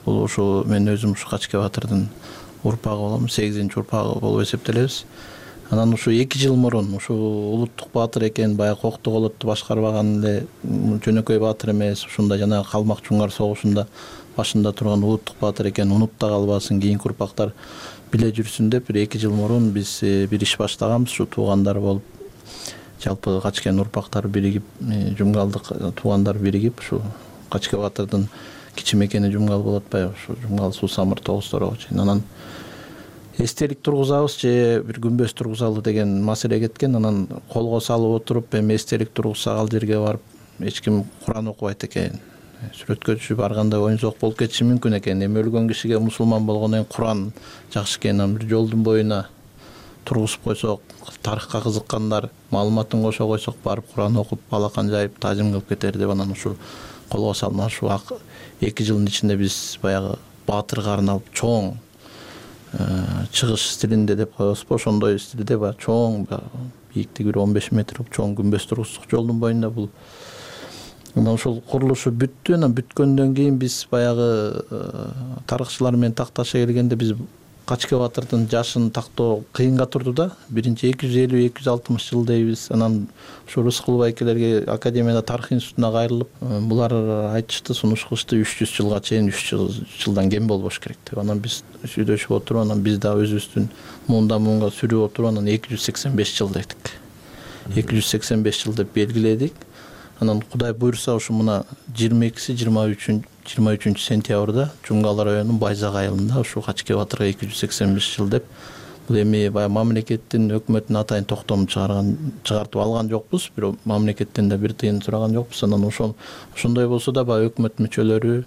бул ушул мен өзүм ушу Качке баатырдын урпагы болом, сегизинчи урпагы болуп эсептелебиз. Анан ушу эки жыл мурун ушу улуттук баатыр экен, баягы Кокту колотту башкарбаган эле жөнөкөй баатыр эмес, ушунда жана Калмак Жуңгар согушунда башында турган улуттук баатыр экен, унуп да калбасын, кийинки урпактар биле жүрсүн деп бир эки жыл мурун биз бир иш баштаганбыз. Ушу туугандар болуп, жалпы Качкенин урпактары биригип, Жумгалдык туугандар биригип, ушу Качке баатырдын кичи мекени Жумгал болуп атпайбы, ушу Жумгал Суу Самыр Тогуз-Торого чейин. Анан эстелик тургузабыз же бир күмбөз тургузалы деген маселе кеткен. Анан колго салып отуруп, эми эстелик тургузсак ал жерге барып эч ким Куран окубайт экен. Сүрөткө түшүп барганда оюнсок болуп кетиши мүмкүн экен. Эми өлгөн кишиге мусулман болгондон кийин Куран жакшы экен. Анан бир жолдун боюна тургузуп койсок, тарыхка кызыккандар маалыматын кошо койсок, барып Куран окуп, балакан жайып, таажим кылып кетер деп анан ушул колго салынып, ушу эки жылдын ичинде биз баягы баатырга арналып чоң чыгыш стилинде деп коебузбу, ошондой стилде баягы чоң, бийиктиги бир он беш метр чоң күмбөз тургуздук жолдун боюнда. Бул анан ошол курулушу бүттү. Анан бүткөндөн кийин биз баягы тарыхчылар менен такташа келгенде биз Качке баатырдын жашын тактоо кыйынга турду да. Биринчи эки жүз элүү эки жүз алтымыш жыл дейбиз. Анан ушу Рыскул байкелерге Академияда тарых институтуна кайрылып, булар айтышты, сунуш кылышты, үч жүз жылга чейин, үч жылдан кем болбош керек деп. Анан биз сүйлөшүп отуруп, анан биз да өзүбүздүн муунда муунга сүрүп отуруп, анан эки жүз сексен беш жыл дедик. эки жүз сексен беш жыл деп белгиледик. Анан Кудай буйрса ушу мына жыйырма экиси жыйырма үчүнчү сентябрда Жумгал районунун Байзак айылында ушу Качке батырга эки жүз сексен беш жыл деп бул эми баягы мамлекеттин өкмөттүн атайын токтомун чыгарган чыгартып алган жокпуз, бирок мамлекеттен да бир тыйын сураган жокпуз. Анан ошол ошондой болсо да баягы өкмөт мүчөлөрү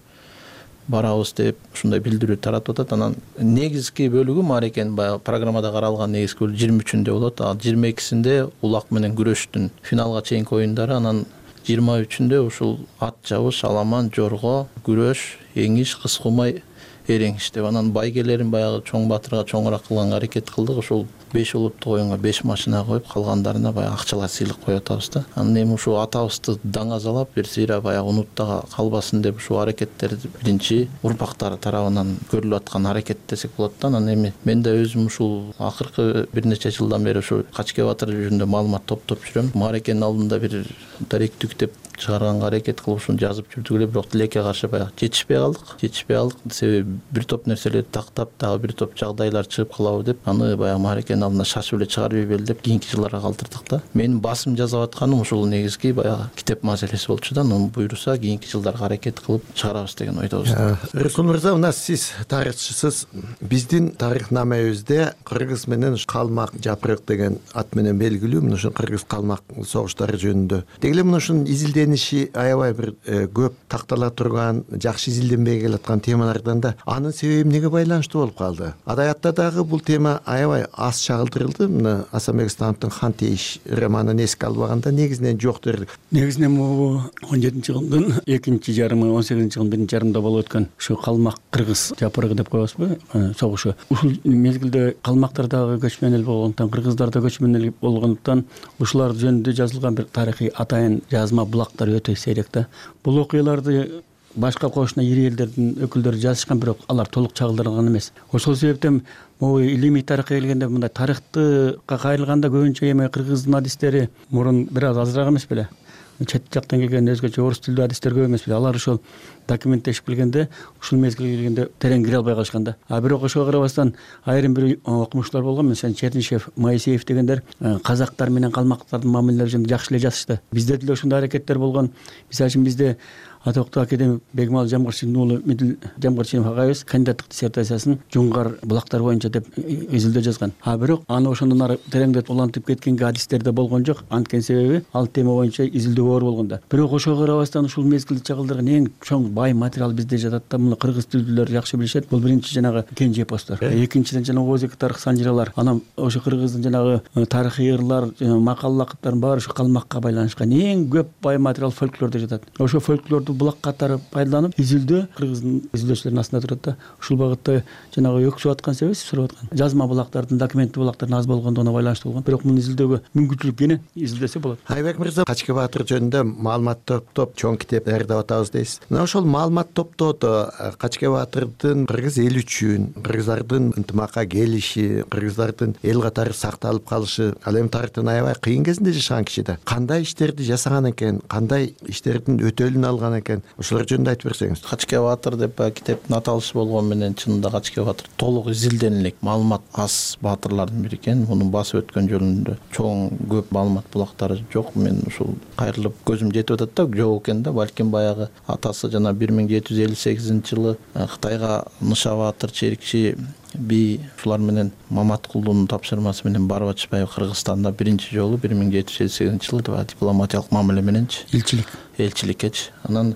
барабыз деп ушундай билдирүү таратып атат. Анан негизги бөлүгү маарекенин баягы программада каралган негизги бөлүгү жыйырма үчүндө болот. Ал жыйырма экисинде улак менен күрөштүн финалга чейинки оюндары, анан жыйырма үчүндө ушул ат жабыш, аламан, жорго, күрөш, эңиш, кыз кумай, эреңиш деп анан байгелерин баягы чоң батырга чоңураак кылганга аракет кылдык. Ошол беш улуттук оюнга беш машина коюп, калгандарына баягы акчалай сыйлык коюп атабыз да. Анан эми ушул атабызды даңазалап, бир сыйра баягы унутта калбасын деп ушул аракеттерди биринчи урпактары тарабынан көрүлүп аткан аракет десек болот да. Анан эми мен да өзүм ушул акыркы бир нече жылдан бери ушу Качке батыр жөнүндө маалымат топтоп жүрөм. Маарекенин алдында бир даректүк деп чыгарганга аракет кылып ушуну жазып жүрдүк эле, бирок тилекке каршы баягы жетишпей калдык. Жетишпей калдык себеби бир топ нерселерди тактап, дагы бир топ жагдайлар чыгып калабы деп аны баягы маарекенин алдына шашып эле чыгарып ийбели деп кийинки жылдарга калтырдык да. Менин басым жасап атканым ушул негизги баягы китеп маселеси болчу да. Анан буйруса кийинки жылдарга аракет кылып чыгарабыз деген ойдобуз. Рыскул мырза, мына сиз тарыхчысыз. Биздин тарыхнамебизде кыргыз менен калмак жапырык деген ат менен белгилүү мына ушул кыргыз калмак согуштары жөнүндө. Деги эле мына ушунун изилдениши аябай бир көп тактала турган, жакшы изилденбей келаткан темалардан да анын себеби эмнеге байланыштуу болуп калды? Адабиятта дагы бул тема аябай аз чагылдырылды. Мына Асанбек Исламовдун Хан Тейиш романын эске албаганда негизинен жок дерлик. Негизинен бул он жетинчи кылымдын экинчи жарымы, он сегизинчи кылымдын биринчи жарымында болуп өткөн ушу калмак кыргыз жапырыгы деп коебузбу, согушу. Ушул мезгилде калмактар дагы көчмөн эл болгондуктан, кыргыздар да көчмөн эл болгондуктан ушулар жөнүндө жазылган бир тарыхый атайын жазма булактар өтө сейрек да. Бул окуяларды башка кошуна ири элдердин өкүлдөрү жазышкан, бирок алар толук чагылдырылган эмес. Ошол себептен могу илимий тарыхка келгенде мындай тарыхтыкка кайрылганда көбүнчө эми кыргыздын адистери мурун бир аз азыраак эмес беле? Чет жактан келген өзгөчө орус тилдүү адистер көп эмес беле? Алар ошол документтешип келгенде ушул мезгилге келгенде терең кире албай калышкан да. А бирок ошого карабастан айрым бир окумуштар болгон, мисалы Чернышев, Моисеев дегендер казактар менен калмактардын мамилелери жөнүндө жакшы эле жазышты. Бизде деле ошондой аракеттер болгон. Мисалы үчүн бизде атоктуу академик Бегмал Жамгырчиновдун уулу Медил Жамгырчинов агайыбыз кандидаттык диссертациясын Жуңгар булактар боюнча деп изилдөө жазган. А бирок аны ошондон ары тереңдетип улантып кеткенге адистер да болгон жок. Анткени себеби ал тема боюнча изилдөө оор болгон да. Бирок ошого карабастан ушул мезгилде чагылдырган эң чоң бай материал бизде жатат да. Муну кыргыз тилдүүлөр жакшы билишет. Бул биринчи жанагы кенже эпостор. Экинчиден жанагы Озеки тарых санжыралар. Анан ошо кыргыздын жанагы тарыхый ырлар, макал лакыптардын баары ошо калмакка байланышкан. Эң көп бай материал фольклордо жатат. Ошо фольклорду булак катары пайдаланып изилдөө кыргыздын изилдөөчүлөрүнүн астында турат да. Ушул багытта жанагы өксүп аткан себеби сурап аткан. Жазма булактардын, документтүү булактардын аз болгондугуна байланыштуу болгон. Бирок муну изилдөөгө мүмкүнчүлүк кенен изилдесе болот. Айбек мырза, Качке батыр жөнүндө маалымат топтоп чоң китеп даярдап атабыз дейсиз. Мына ошол маалымат топтоодо Качке батырдын кыргыз эли үчүн, кыргыздардын ынтымакка келиши, кыргыздардын эл катары сакталып калышы, ал эми тарыхтын аябай кыйын кезинде жашаган киши да. Кандай иштерди жасаган экен, кандай иштердин өтөлүн алган экен? Ошолор жөнүндө айтып берсеңиз. Качке батыр деп китептин аталышы болгон менен чынында Качке батыр толук изилденилик маалымат аз баатырлардын бири экен. Муну басып өткөн жөнүндө чоң көп маалымат булактары жок. Мен ушул кайрылып көзүм жетип атат да, жок экен да. Балким баягы атасы жана бир миң жети жүз элүү сегизинчи жылы Кытайга Ныша батыр, Черикчи би ушулар менен Маматкулдун тапшырмасы менен барып атышпайбы Кыргызстанда биринчи жолу бир миң жети жүз элүү сегизинчи жылы дипломатиялык мамиле мененчи элчилик элчиликкечи. Анан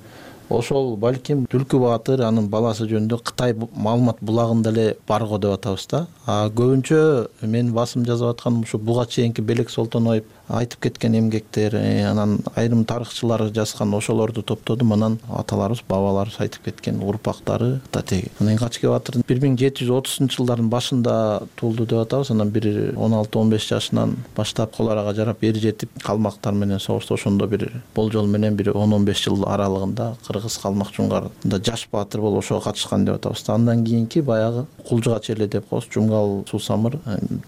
ошол балким Түлкү баатыр анын баласы жөнүндө Кытай маалымат булагында эле барго деп атабыз да. А көбүнчө мен басым жазып атканым ушу буга чейинки Белек Солтоноев айтып кеткен эмгектер, анан айрым тарыхчылар жазган ошолорду топтодум. Анан аталарыбыз, бабаларыбыз айтып кеткен урпактары татеги. Анан Качке батыр бир миң жети жүз отузунчу жылдардын башында туулду деп атабыз. Анан бир он алты он беш жашынан баштап кол арага жарап эр жетип калмактар менен согушту. Ошондо бир болжол менен бир он он беш жыл аралыгында кыргыз калмак жуңгарында жаш баатыр болуп ошого катышкан деп атабыз. Андан кийинки баягы Кулжуга чейин деп коебуз. Жумгал Суу Самыр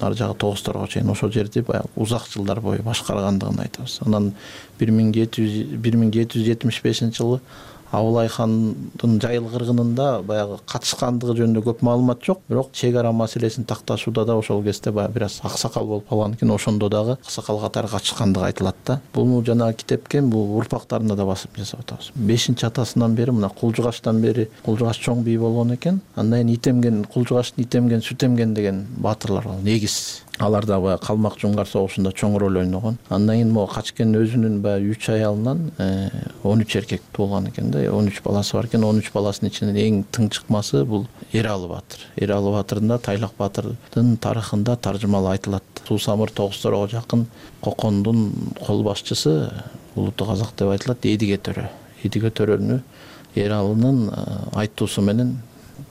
ар жагы Тогузторго чейин ошол жерди баягы узак жылдар бою башкаргандыгын айтабыз. Анан бир миң жети жүз жетимиш бешинчи жылы Абылай хандын Жайыл кыргынында баягы катышкандыгы жөнүндө көп маалымат жок, бирок чек ара маселесин такташууда да ошол кезде баягы бир аз аксакал болуп калган экен, ошондо дагы аксакал катары катышкандыгы айтылат да. Бул жанагы китепке бул урпактарында да басым жасап атабыз. бешинчи атасынан бери мына Кулжугаштан бери Кулжугаш чоң бий болгон экен. Андан кийин Итемген, Кулжугаштын Итемген, Сүтемген деген баатырлар бар, негиз. Алар да баягы Калмак Жуңгар согушунда чоң роль ойногон. Андан кийин могу Качкен өзүнүн баягы үч аялынан он үч эркек туулган экен да, он үч баласы бар экен. он үч баласынын ичинен эң тың чыкмасы бул Эралы баатыр. Эралы баатырдын да Тайлак баатырдын тарыхында таржымалы айтылат. Суусамыр тогузторого жакын Кокондун кол башчысы улуттук казак деп айтылат, Эдиге төрө. Эдиге төрөнү Эралынын айтуусу менен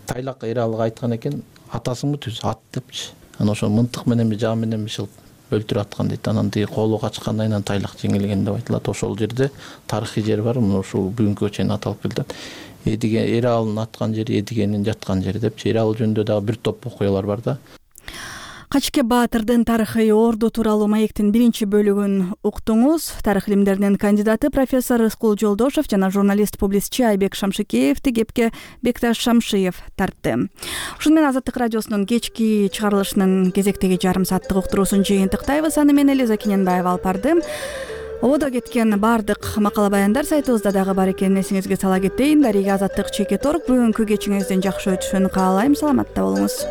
Тайлак Эралыга айткан экен, атасыңбы түз ат депчи. Анан ошо мынтык менен жаа менен бишил өлтүрүп аткан дейт. Анан тиги колу качкандан кийин Тайлак жеңилген деп айтылат. Ошол жерде тарыхый жер бар, мына ушул бүгүнкүгө чейин аталып келет. Эдиге Эралынын аткан жери, Эдигенин жаткан жери депчи. Эралы жөнүндө дагы бир топ окуялар бар да. Качке баатырдын тарыхый орду тууралуу маектин биринчи бөлүгүн уктуңуз. Тарых илимдеринин кандидаты профессор Рыскул Жолдошов жана журналист-публицчи Айбек Шамшыкеевди кепке Бекташ Шамшиев тартты. Ушуну менен Азаттык радиосунун кечки чыгарылышынын кезектеги жарым сааттык уктуруусун жыйынтыктайбыз. Аны мен Элиза Кененбаева алып бардым. Ободо кеткен бардык макала баяндар сайтыбызда дагы бар экенин эсиңизге сала кетейин. Дарига Азаттык чекит орг. Бүгүнкү кечиңиздин жакшы өтүшүн каалайм. Саламатта болуңуз.